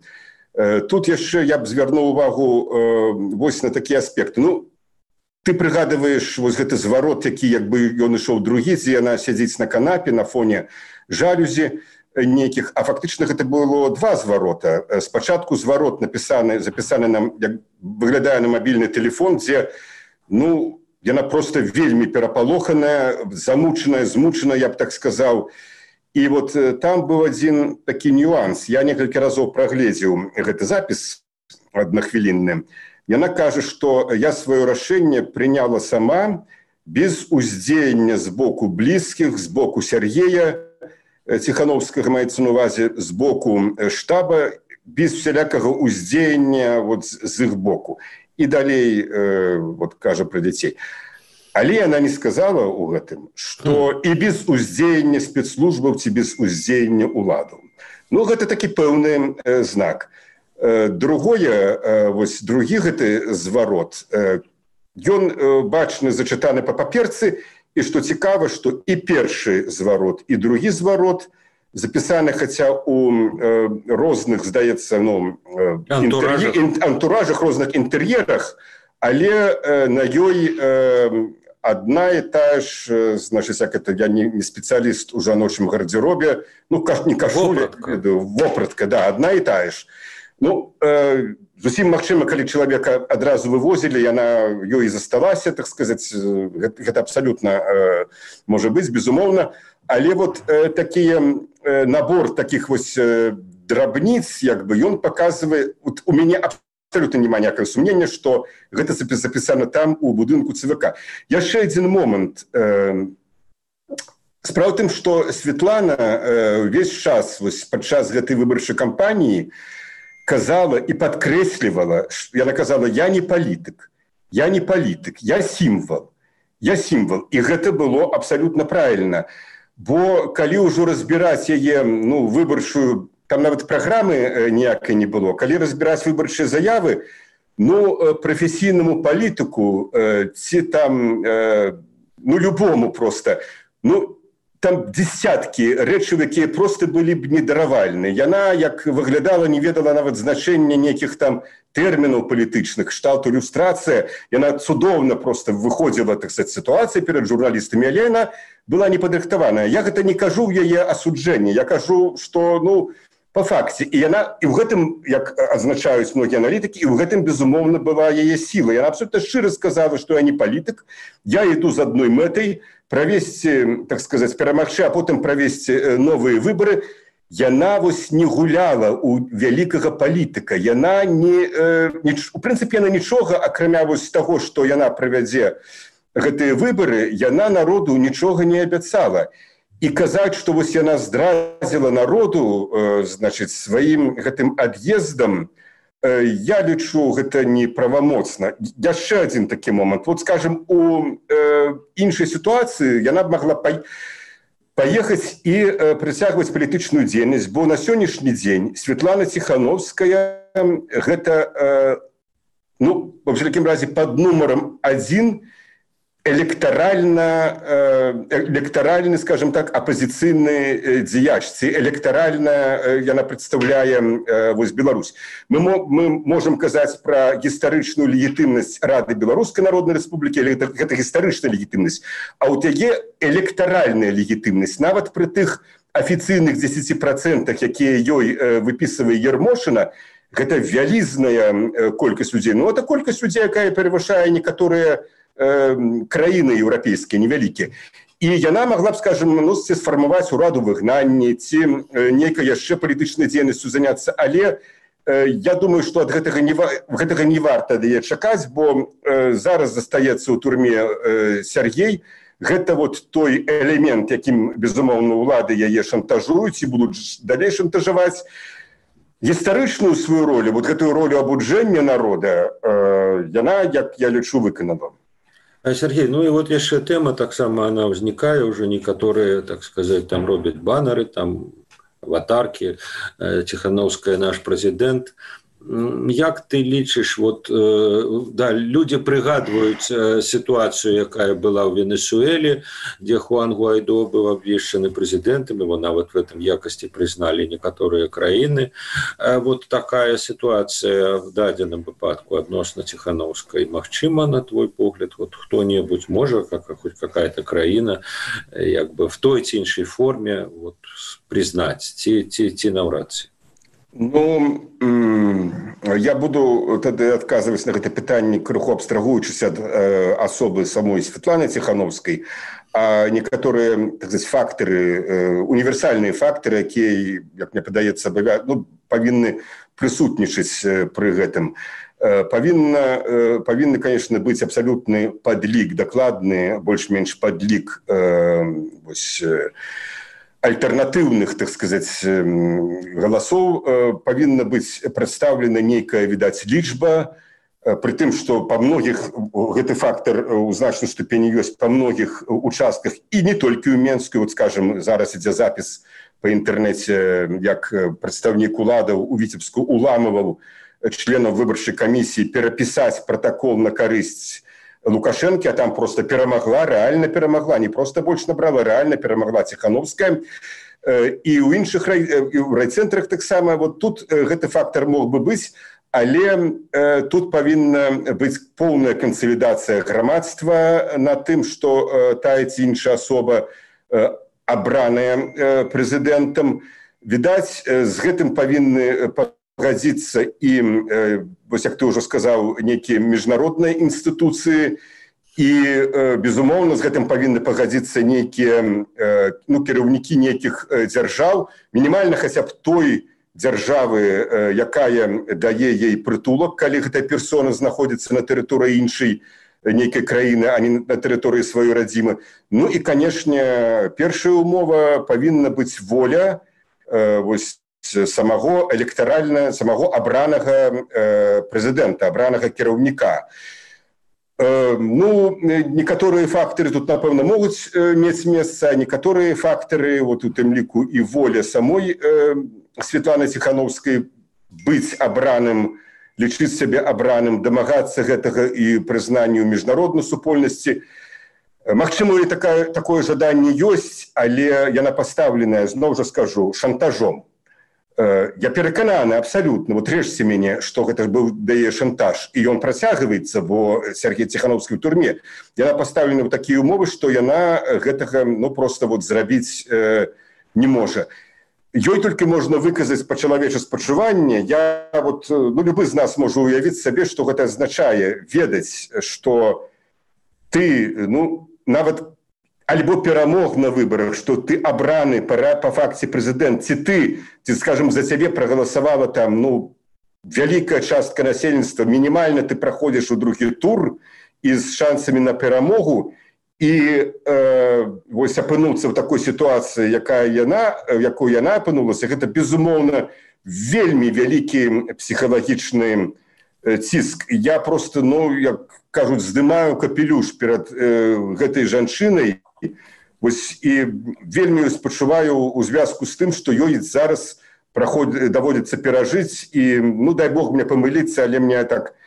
э, тут яшчэ я б звярнуў увагу э, вось на такія аспекты. Ну, ты прыгадываеш вось гэты зварот, які як бы ён ішоў другі, дзе яна сядзіць на канапе на фоне жалюзі нейкіх, а фактычна гэта было два зварота. Спачатку зварот напісаны, запісаны нам, як выглядае на мабільны тэлефон, дзе, ну, яна просто вельмі перапалоханая, замучаная, змучаная, я б так сказаў. І вот там быў адзін такі нюанс. Я некалькі разоў прагледзеў гэты запіс аднахвілінны. Яна кажа, што я сваё рашэнне прыняла сама, без уздзеяння з боку блізкіх, з боку Сергея Тихановскага, маецца на увазе, з боку штаба, без всялякага уздзеяння вот з іх боку. І далей, э, вот кажа пра дзяцей. Але яна не сказала ў гэтым, што і без уздзеяння спецслужбаў ці без уздзеяння ўладаў. Ну, гэта такі пэўны э, знак. Другое, вось другі гэты зварот, ён бачны зачытаны па паперцы, і што цікава, што і першы зварот, і другі зварот запісаны, хаця у розных, здаецца, ну, антуражах. Інтэр'е... антуражах, розных інтэр'ерах, але на ёй одна і тая ж, значыць, як это, я не, не спецыяліст у жаночым гардзеробе, ну, не кашуля, вопратка, да, одна і тая ж. Ну, э, зусім магчыма, калі чалавека адразу вывозілі, яна ёй засталася, так сказаць, гэта, гэта абсалютна э, можа быць, безумоўна, але вот э, такія, э, набор такіх вось э, драбніц, як бы, ён паказвае, вот у мяне абсолютно няма ніякага сумнення, што гэта запісана там у будынку ЦВК. Яшчэ адзін момант. Справа ў тым, што Светлана ўвесь час вось падчас гэтай выбарчай кампаніі казала і падкрэслівала, яна казала: я не палітык, я не палітык, я сімвал, я сімвал. І гэта было абсалютна правільна. Бо калі ўжо разбіраць яе, ну, выбарчую, там нават праграмы ніякай не было. Калі разбіраць выбарчыя заявы, ну, прафесійнаму палітыку ці там, ну, любому проста, ну, там десяткі рэчаў, якія проста былі б недаравальны. Яна, як выглядала, не ведала нават значэння нейкіх там тэрмінаў палітычных, кшталту ілюстрацыя. Яна цудоўна проста выходзіла, так сказаць, сітуацыі перад журналістамі, але яна была непадрыхтаваная. Я гэта не кажу ў яе асуджэнні, я кажу, што, ну, по факце. І яна, і ў гэтым, як адзначаюць многія аналітыкі, і ў гэтым, безумоўна, была яе сіла. Яна абсолютно шчыра сказала, што я не палітык, я іду з адной мэтай, правесці, так сказаць, перамагчы, а потым правесці новыя выбары. Яна вось не гуляла ў вялікага палітыка. Яна не, не, у прынцыпе, яна нічога, акрамя вось таго, што яна правядзе гэтыя выбары, яна народу нічога не абяцала. І казаць, што вось яна здрадзіла народу, э, значыць, сваім гэтым ад'ездам, э, я лічу, гэта неправамоцна. Яшчэ адзін такі момант. Вот, скажем, у э, іншай сітуацыі яна б магла па... паехаць і э, прыцягваць палітычную дзейнасць, бо на сённяшні дзень Светлана Ціхановская гэта, э, ну, во всякім разе, пад нумарам адзін электорально, электоральный, скажем так, оппозиционный дзеяч, электорально яна представляем вось Беларусь. Мы, мы можем казаць про гістарычную легітымнасць Рады Беларускай Народнай Рэспублікі, але гэта, гэта гістарычная легітымнасць, а ў яе электоральная легітымнасць, нават пры тых афіцыйных дзесяці працэнтах, якія ёй выпісывае Ермошына, гэта вялізная колькасць людзей. Ну, это колькасць людзей, якая перавышае некаторыя краіны еўрапейскія невялікія. І яна могла б, скажем, ну, сфармаваць ураду выгнанні ці нейкай яшчэ палітычнай дзейнасцю заняцца, але э, я думаю, што ад гэтага не, гэтага не варта яе чакаць, бо э, зараз застаецца ў турме э, Сяргей. Гэта вот той элемент, якім, безумоўна, улады яе шантажуюць і будуць далей шантажаваць. Гістарычную сваю ролю, вот гэтую ролю абуджэння народа, э, яна, як я лічу, выканала. Сергей, ну и вот яшчэ тема таксама она ўзнікае, уже некаторыя, так сказать, там робяць баннеры, там аватарки, Ціхановская наш прэзідэнт. Як ты лічыш, вот, да, люди прыгадваюць ситуацию, якая была ў Венесуэле, где Хуан Гуайдо быў абвешчаны прэзідэнтам, его нават в этом якасці прызналі некаторыя краіны. Вот такая ситуация в дадзеным выпадку адносна Ціхановскай. Магчыма, на твой погляд, вот хто-небудзь можа, как, хоть какая-то краіна, як бы в той ці іншай форме вот, признаць, ці, ці, ці наўрад ці? Ну, я буду тады адказваць на гэта пытанне, крыху абстрагуючыся ад э, асобы самой Светланы Ціхановскай, а некаторыя, так сказать, фактары, э, універсальныя фактары, якія, як мне падаецца, ну, павінны прысутнічаць э, пры гэтым. Э, павінна, э, павінны, конечно, быць абсалютны падлік, дакладны, больш-менш падлік э, вось, э, альтэрнатыўных, так сказаць, галасоў, павінна быць прадстаўлена нейкая, відаць, лічба, При тым, што па многіх гэты фактар у значнай ступені ёсць па многіх участках і не толькі ў Менску. Вот, скажем, зараз ідзе запіс па інтэрнэце, як прадстаўнік уладаў у Віцебску уламываў членаў выбарчай камісіі перапісаць пратакол на карысць Лукашэнкі, а там просто перамагла, рэальна перамагла, не просто больш набрала, рэальна перамагла Ціханаўская. І ў іншых райцэнтрах таксама. Вот тут гэты фактар мог бы быць, але э, тут павінна быць поўная кансалідацыя грамадства на тым, што э, тая ці іншая асоба э, абраная э, прэзідэнтам. Відаць, э, з гэтым павінны пагадзіцца і, э, вось як ты ўжо сказаў, нейкія міжнародныя інстытуцыі, і, э, безумоўна, з гэтым павінны пагадзіцца нейкія э, ну, кіраўнікі нейкіх э, дзяржаў, мінімальна хаця б той дзяржавы, якая дае ей прытулак, калі гэтая персона знаходзіцца на тэрыторыі іншай нейкай краіны, а не на тэрыторыі сваёй радзімы. Ну і, канешне, першая умова павінна быць воля э, вось, самого электаральна, самого абранага э, прэзідэнта, абранага кіраўніка. Э, ну, некаторыя фактары тут, напэўна, могуць э, мець месца, а некаторыя фактары, вот у тым ліку і воля самой э, Светланы Ціханаўскай быць абраным, лічыць сябе абраным, дамагацца гэтага і прызнанню міжнароднай супольнасці. Магчыма, і такая, такое жаданне ёсць, але яна пастаўленая, зноў жа скажу, шантажом. Я перакананы абсалютна, вот рэжце мяне, што гэта быў дае шантаж, і ён працягваецца, бо Сергей Ціханаўскі ў турме. Яна пастаўлена ў такія ўмовы, што яна гэтага ну, проста вот, зрабіць э, не можа. Ёй толькі можна выказаць па-чалавечы спачуванне. Я вот, ну, любы з нас можа уявіць сабе, што гэта азначае ведаць, што ты, ну, нават альбо перамог на выбарах, што ты абраны па, па факце прэзідэнт, ці ты, ці, скажем, за цябе прагаласавала там, ну, вялікая частка насельніцтва, мінімальна ты праходзіш у другі тур і з шансамі на перамогу, і э, вось апынуцца ў такой сітуацыі, якая яна, якой яна апынулася, гэта, безумоўна, вельмі вялікі псіхалагічны ціск. Я просто, ну, як кажуць, здымаю капелюш перад э, гэтай жанчынай, вось, і вельмі спачуваю у звязку з тым, што ёй зараз праход... даводзіцца перажыць, і, ну, дай Бог мне памыліцца, але мне так,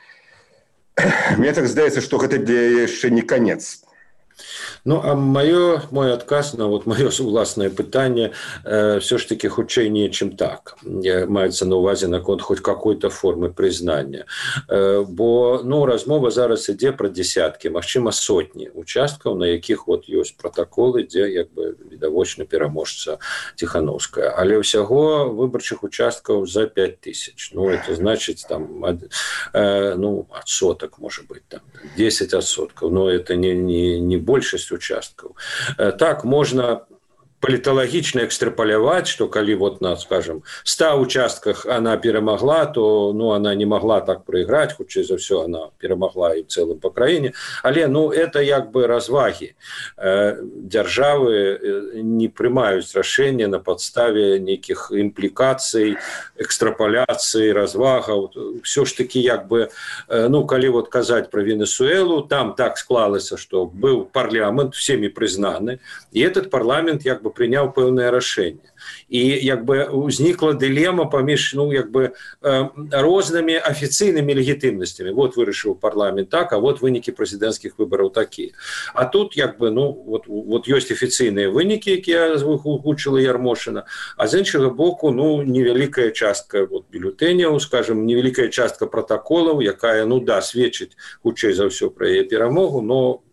мне так здаецца, што гэта для яшчэ не канец. Ну, а маё, мой адказ на вот маё уласнае пытанне э, все ж таки хутчэй не чым так. Маецца на увазе наконт хоць какой-то формы прызнання. Э, бо ну, размова зараз ідзе пра дзесяткі, магчыма, сотні участкаў, на якіх вот ёсць пратаколы, дзе як бы відавочна пераможца Ціханаўская. Але ўсяго выбарчых участкаў за пять тысяч. Ну, это значыць там ад, э, ну, адсотак, можа быць, там десять адсоткаў. Но это не, не, не большасць участкаў. Так, можна паліталагічна экстрапаляваць, што калі вот на, скажем, ста участках она перамагла, то ну, она не могла так прайграць, хутчэй за ўсё она перамагла і ў цэлым па краіне. Але ну, это як бы развагі. Дзяржавы не прымаюць рашэння на падставе нейкіх імплікацый, экстрапаляцый, развагаў. Все ж таки як бы, ну, калі вот казаць пра Венесуэлу, там так склалася, што быў парламент, всеми прызнаны, і этот парламент як бы прыняў пэўнае рашэнне. І як бы узнікла дылема паміж ну, як бы, э, рознымі афіцыйнымі легітымнасцямі. Вот вырашыў парламент так, а вот вынікі прэзідэнцкіх выбараў такія. А тут як бы, ну, вот, вот ёсць афіцыйныя вынікі, якія агучыла Ярмошына, а з іншага боку ну, невялікая частка вот, бюлетэняў, скажем, невялікая частка пратаколаў, якая ну, да, сведчыць хутчэй за ўсё пра яе перамогу, но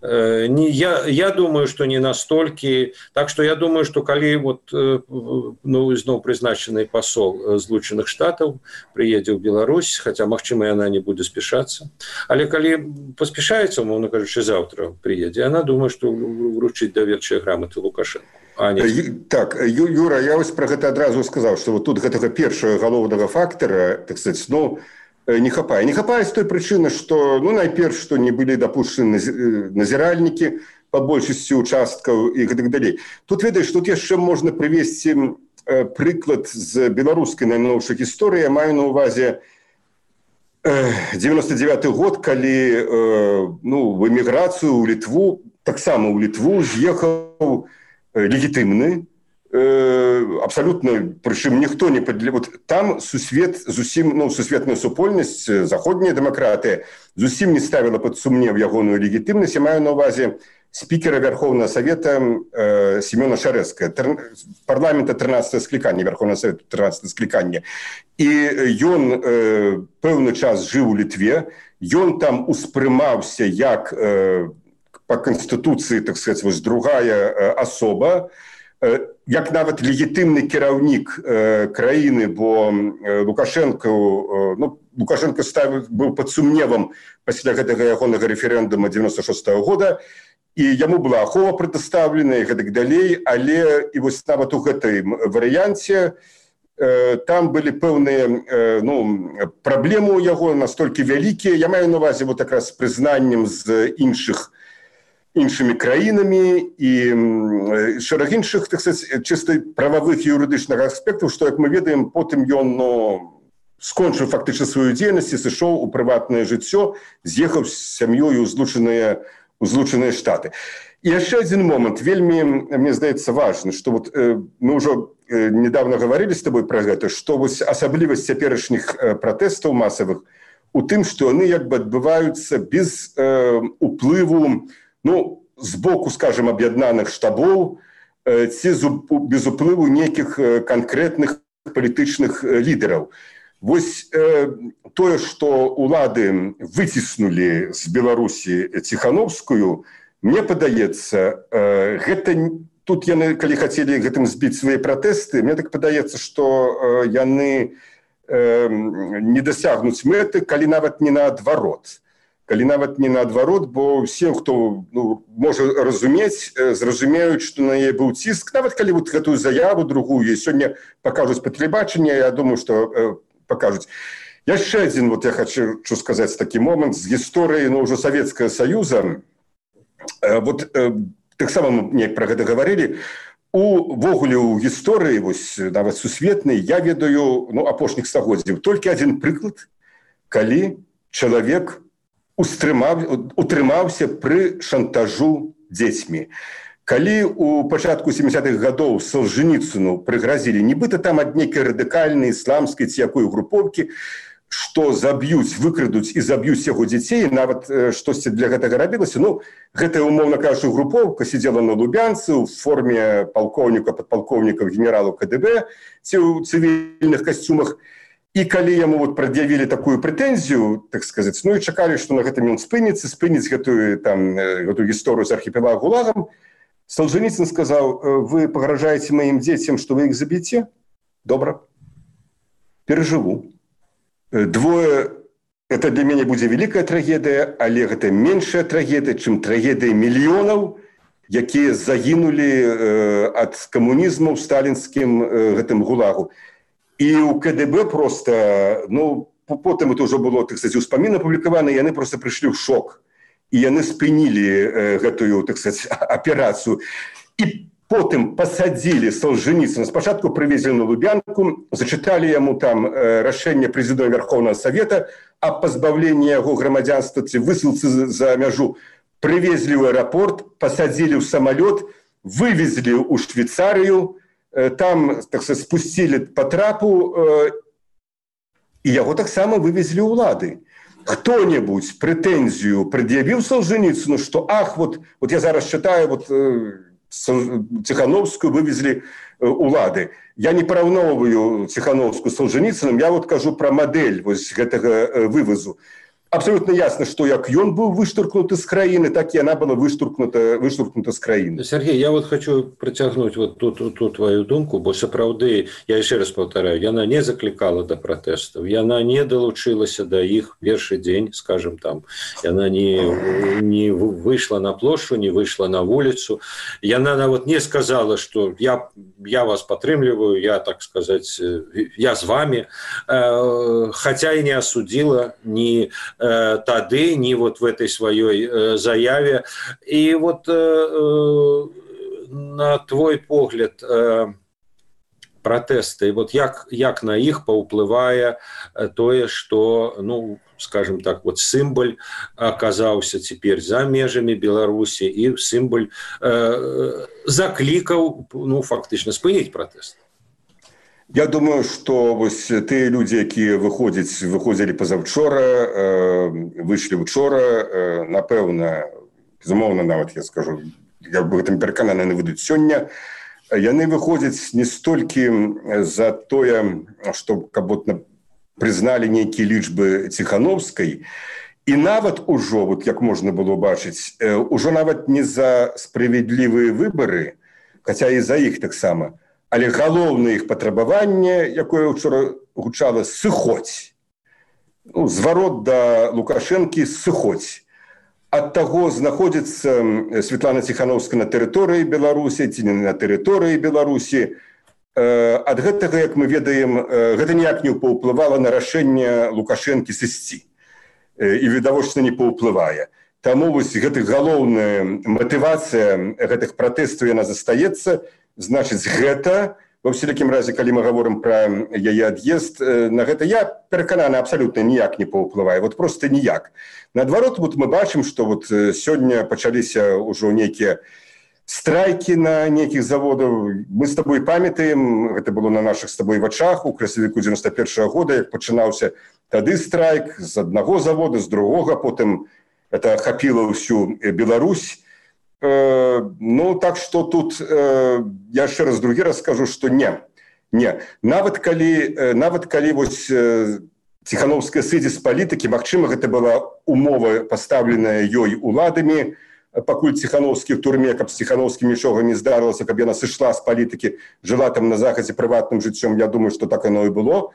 Не, я, я думаю, что не настолько. Так что я думаю, что коли вот, ну, зноў призначенный посол Злучаных Штатов приедет в Беларусь, хотя, магчыма, и она не будет спешаться, але коли поспешается, умовно кажучи, завтра приедет, она думает, что вручить доверчыя грамоты Лукашенко. А не... Так, Юра, я вось про гэта адразу сказал, что вот тут гэтага першага галоўнага фактора, так сказать, ну, не хапае. Не хапае з той прычыны, што, ну, найперш, што не былі дапушчаны назіральнікі па большасці участкаў і гэтак далей. Тут, ведаеш, тут яшчэ можна прывесці прыклад з беларускай найноўшай гісторыі. Я маю на ўвазе девяносто девятый год, калі ну, в эміграцыю ў Літву, таксама ў Літву з'ехаў легітымны, абсолютно, прычым ніхто не падля... вот там сусвет зусім, ну, сусветная супольнасць, заходняя дэмакратыя зусім не ставіла пад сумнеў ягоную легітымнасць. Я маю на ўвазе спікера Верховного Совета э, Семена Шарэцкага, тр... парламента трынаццатае склікання, Верховного Совета трынаццатае склікання. І ён э, пэўны час жыў у Літве, ён там успрымаўся як э, па канстытуцыі, так сказать, вось другая э, асоба, як нават легітымны кіраўнік э, краіны, бо э, Лукашенко, э, ну, Лукашенко ставил, быў пад сумневам пасля гэтага ягонага рэферэндума девяносто шестого года, і яму была ахова прадастаўлена і гэтак далей, але і вось нават у гэтай варыянце э, там былі пэўныя э, ну, праблемы ў яго настолькі вялікія. Я маю на ўвазе вот якраз з прызнаннем з іншых іншымі краінамі і шэраг іншых, так сказать, чыста прававых і юрыдычных аспектаў, што, як мы ведаем, потым ён ну, скончыў фактычна сваю дзейнасць і сышоў у прыватнае жыццё, з'ехаў з сям'ёю ў злучаныя, ў злучаныя штаты. І яшчэ адзін момант, вельмі, мне здаецца, важны, што вот, э, мы ўжо э, недавно гаварылі з табой пра гэта, што вось асаблівасць цяперашніх э, пратэстаў масавых у тым, што яны як бы адбываюцца без э, уплыву, ну, з боку, скажем, аб'яднаных штабоў, ці без уплыву нейкіх канкрэтных палітычных лідараў. Вось э, тое, што улады выціснулі з Беларусі Ціхановскую, мне падаецца, э, гэта тут яны, калі хацелі гэтым збіць свае пратэсты, мне так падаецца, што э, яны э, не дасягнуць мэты, калі нават не наадварот. Калі нават не наадварот, бо ўсе, хто ну, можа разумець, зразумеюць, што на яе быў ціск. Нават калі вот гэтую заяву другую і сёння пакажуць па тэлебачанні, я думаю, што э, пакажуць. Яшчэ адзін, вот я хочу сказаць такі момант з гісторыі ну, ўжо Савецкага Саюза. Э, вот э, таксама мы неяк пра гэта гаварылі. Увогуле ў гісторыі, вось, нават сусветнай, я ведаю ну, апошніх стагоддзяў толькі адзін прыклад, калі чалавек утрымаўся пры шантажу дзецьмі. Калі у пачатку сямідзясятых гадоў Солженіцыну прыгразілі, нібыта там ад нейкай радыкальнай ісламскай ці якой групоўкі, што заб'юць, выкрадуць і заб'юць яго дзяцей, нават э, штосьці для гэтага рабілася. Ну, гэтая, умоўна кажучы, групоўка сидзела на Лубянцы ў форме палкоўніка, падпалкоўнікаў, генералаў ка дэ бэ ці ў цывільных касцюмах. І калі яму вот прад'явілі такую прэтэнзію, так сказаць, ну і чакалі, што на гэтым ён спыніцца, спыніць гэтую, там, гэтую гісторыю з архіпелаг ГУЛАГам, Солженіцын сказаў, вы пагражаеце маім дзецям, што вы іх заб'еце? Добра. Перажыву. Двое, это для мяне будзе вялікая трагедыя, але гэта меншая трагедыя, чым трагедыя мільёнаў, якія загінулі э, ад камунізму ў сталінскім э, гэтым ГУЛАГу. І ў ка дэ бэ просто, ну, потым это ўжо было, так сказать, успамін апублікаваны, яны просто прыйшлі ў шок. І яны спынілі э, гэтую, так сказать, аперацыю. І потым пасадзілі Солженіцына. Спачатку прывезлі на Лубянку, зачыталі яму там э, рашэнне прэзідэнта Верховного Совета аб пазбаўленні яго грамадзянства ці высылцы за мяжу. Прывезлі ў аэрапорт, пасадзілі ў самалёт, вывезлі ў Швейцарыю, там, так сказать, спусцілі па трапу, э, і яго таксама вывезлі ўлады. Хто-небудзь прэтэнзію прад'явіў Солженіцыну, што ах, вот, вот я зараз чытаю, вот, э, Ціхановскую вывезлі э, ўлады. Я не параўноўваю Ціхановскую з Солженіцыным, я вот кажу пра мадэль вось гэтага э, вывазу. Абсолютно ясно, что як ён был выштуркнуты з краіны, так и она была выштуркнута, выштуркнута з краіны. Сергей, я вот хочу протягнуть вот ту, ту, ту твою думку, бо сапраўды, я еще раз повторяю, яна не закликала до протестов, яна не долучилася до их першы день, скажем там, яна не, не вышла на площадь, не вышла на улицу, яна вот не сказала, что я, я вас подтрымліваю, я, так сказать, я с вами, хотя и не осудила ни тады, не вот в этой своей э, заяве. И вот э, э, на твой погляд, э, пратэсты, вот як, як на іх паўплывае тое, што, ну, скажем так, вот сімвол аказаўся цяпер за межамі Беларусі і сімвол э, заклікаў, ну, фактычна спыніць пратэст. Я думаю, што вось тыя людзі, якія выходзяць, выходзілі пазаўчора, э, выйшлі учора, э, напэўна, безумоўна, нават я скажу, я бы гэтым перакананы, яны выйдуць сёння, яны выходзяць не столькі за тое, што каб вот прызналі нейкія лічбы Ціхановскай, і нават ужо, вот як можна было бачыць, ужо нават не за справядлівыя выбары, хаця і за іх таксама, але галоўнае іх патрабаванне, якое ўчора гучала, сыходзь. Ну, зварот да Лукашэнкі, сыходзь. Ад таго, знаходзіцца Святлана Ціхановская на тэрыторыі Беларусі ці не на тэрыторыі Беларусі, ад гэтага, як мы ведаем, гэта ніяк не паўплывала на рашэнне Лукашэнкі сысці. І відавочна не паўплывае. Таму вось гэтых галоўная матывацыя гэтых пратэстаў яна застаецца. Значыць, гэта, ва ўсялякім разе, калі мы гаворым пра яе ад'езд, на гэта я перакананы абсалютна ніяк не паўплывае. Вот проста ніяк. Наадварот, вот мы бачым, што вот сёння пачаліся ўжо нейкія страйкі на нейкіх заводаў. Мы з табой памятаем, гэта было на нашых з табой вачах у красавіку дзевяноста першага года, як пачынаўся тады страйк з аднаго завода, з другога, потым это ахапіла ўсю Беларусь. Э, ну, так што тут, э, я яшчэ раз другі раз скажу, што не. Не. Нават калі, нават калі вось Ціхановская сыдзе з палітыкі, магчыма, гэта была умова, пастаўленая ёй уладамі, пакуль Ціхановскі в турме, каб з Ціхановскім нічога не здарылася, каб яна сышла з палітыкі, жыла там на захадзе прыватным жыццём, я думаю, што так оно і было.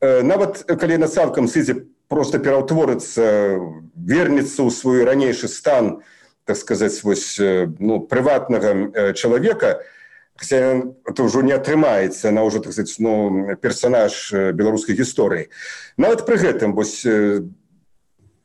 Нават калі яна цалкам сыдзе проста пераўтворыцца, вернецца ў свой ранейшы стан, так сказаць, вось, ну, прыватнага чалавека, хаця это ўжо не атрымаецца, она ўжо, так сказаць, ну, персанаж беларускай гісторыі. Нават пры гэтым, вось,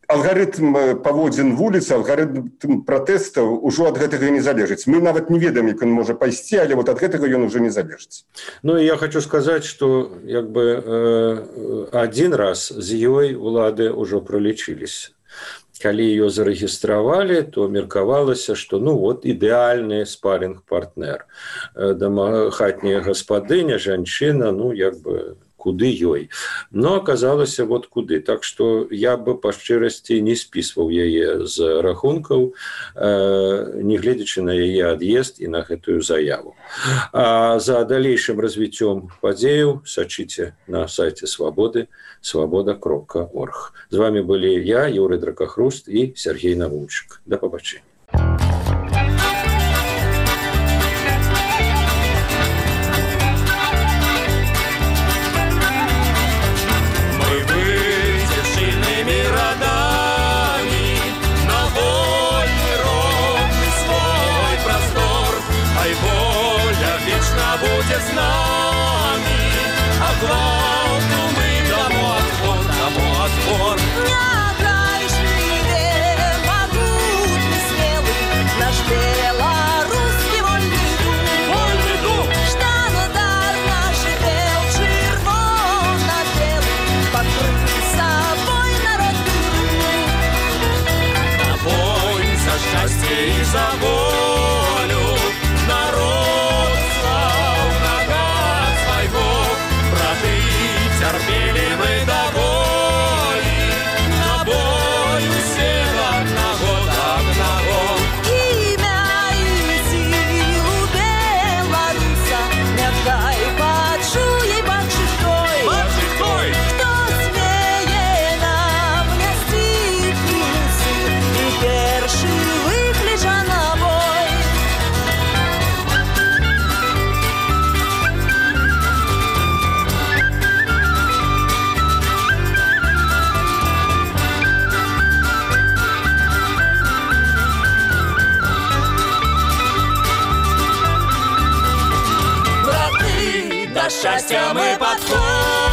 алгарытм паводзін вуліцы, алгарытм пратэстаў ужо ад гэтага не залежыць. Мы нават не ведаем, як ён можа пайсці, але вот ад гэтага ён ужо не залежыць. Ну, і я хочу сказаць, што як бы э, адзін раз з ёй улады ўжо пралічыліся. Калі ее зарэгістравалі, то меркавалася, што ну вот ідэальны спарінг-партнер. Хатняя гаспадыня, жанчына, ну як бы куды ёй. Но аказалася вот куды. Так што я бы па шчырасці не спісваў яе з рахункаў, не гледзячы на яе ад'езд і на гэтую заяву. А за далейшым развіццём падзеяў сачыце на сайце Свабоды, свабода кропка орг. З вами былі я, Юрый Дракахруст і Сергей Навунчык. Да пабачэння. Будет с нами, а главное мы домой отбор, домой отбор. Необращенный, могутный, смелый, наш белорусский вольный дух, Вольный дух. Штандар наш бел, червоно-белый, покрыть собой народный дух. На бой за счастье и за волю народ. Терпели мы до боли, на бой все одного, одного. Имя и силу белоруса не дай почуй, бачитой, Бачитой. кто смее нам не стикнуться и перши выклича на бой. До счастья мы подходим.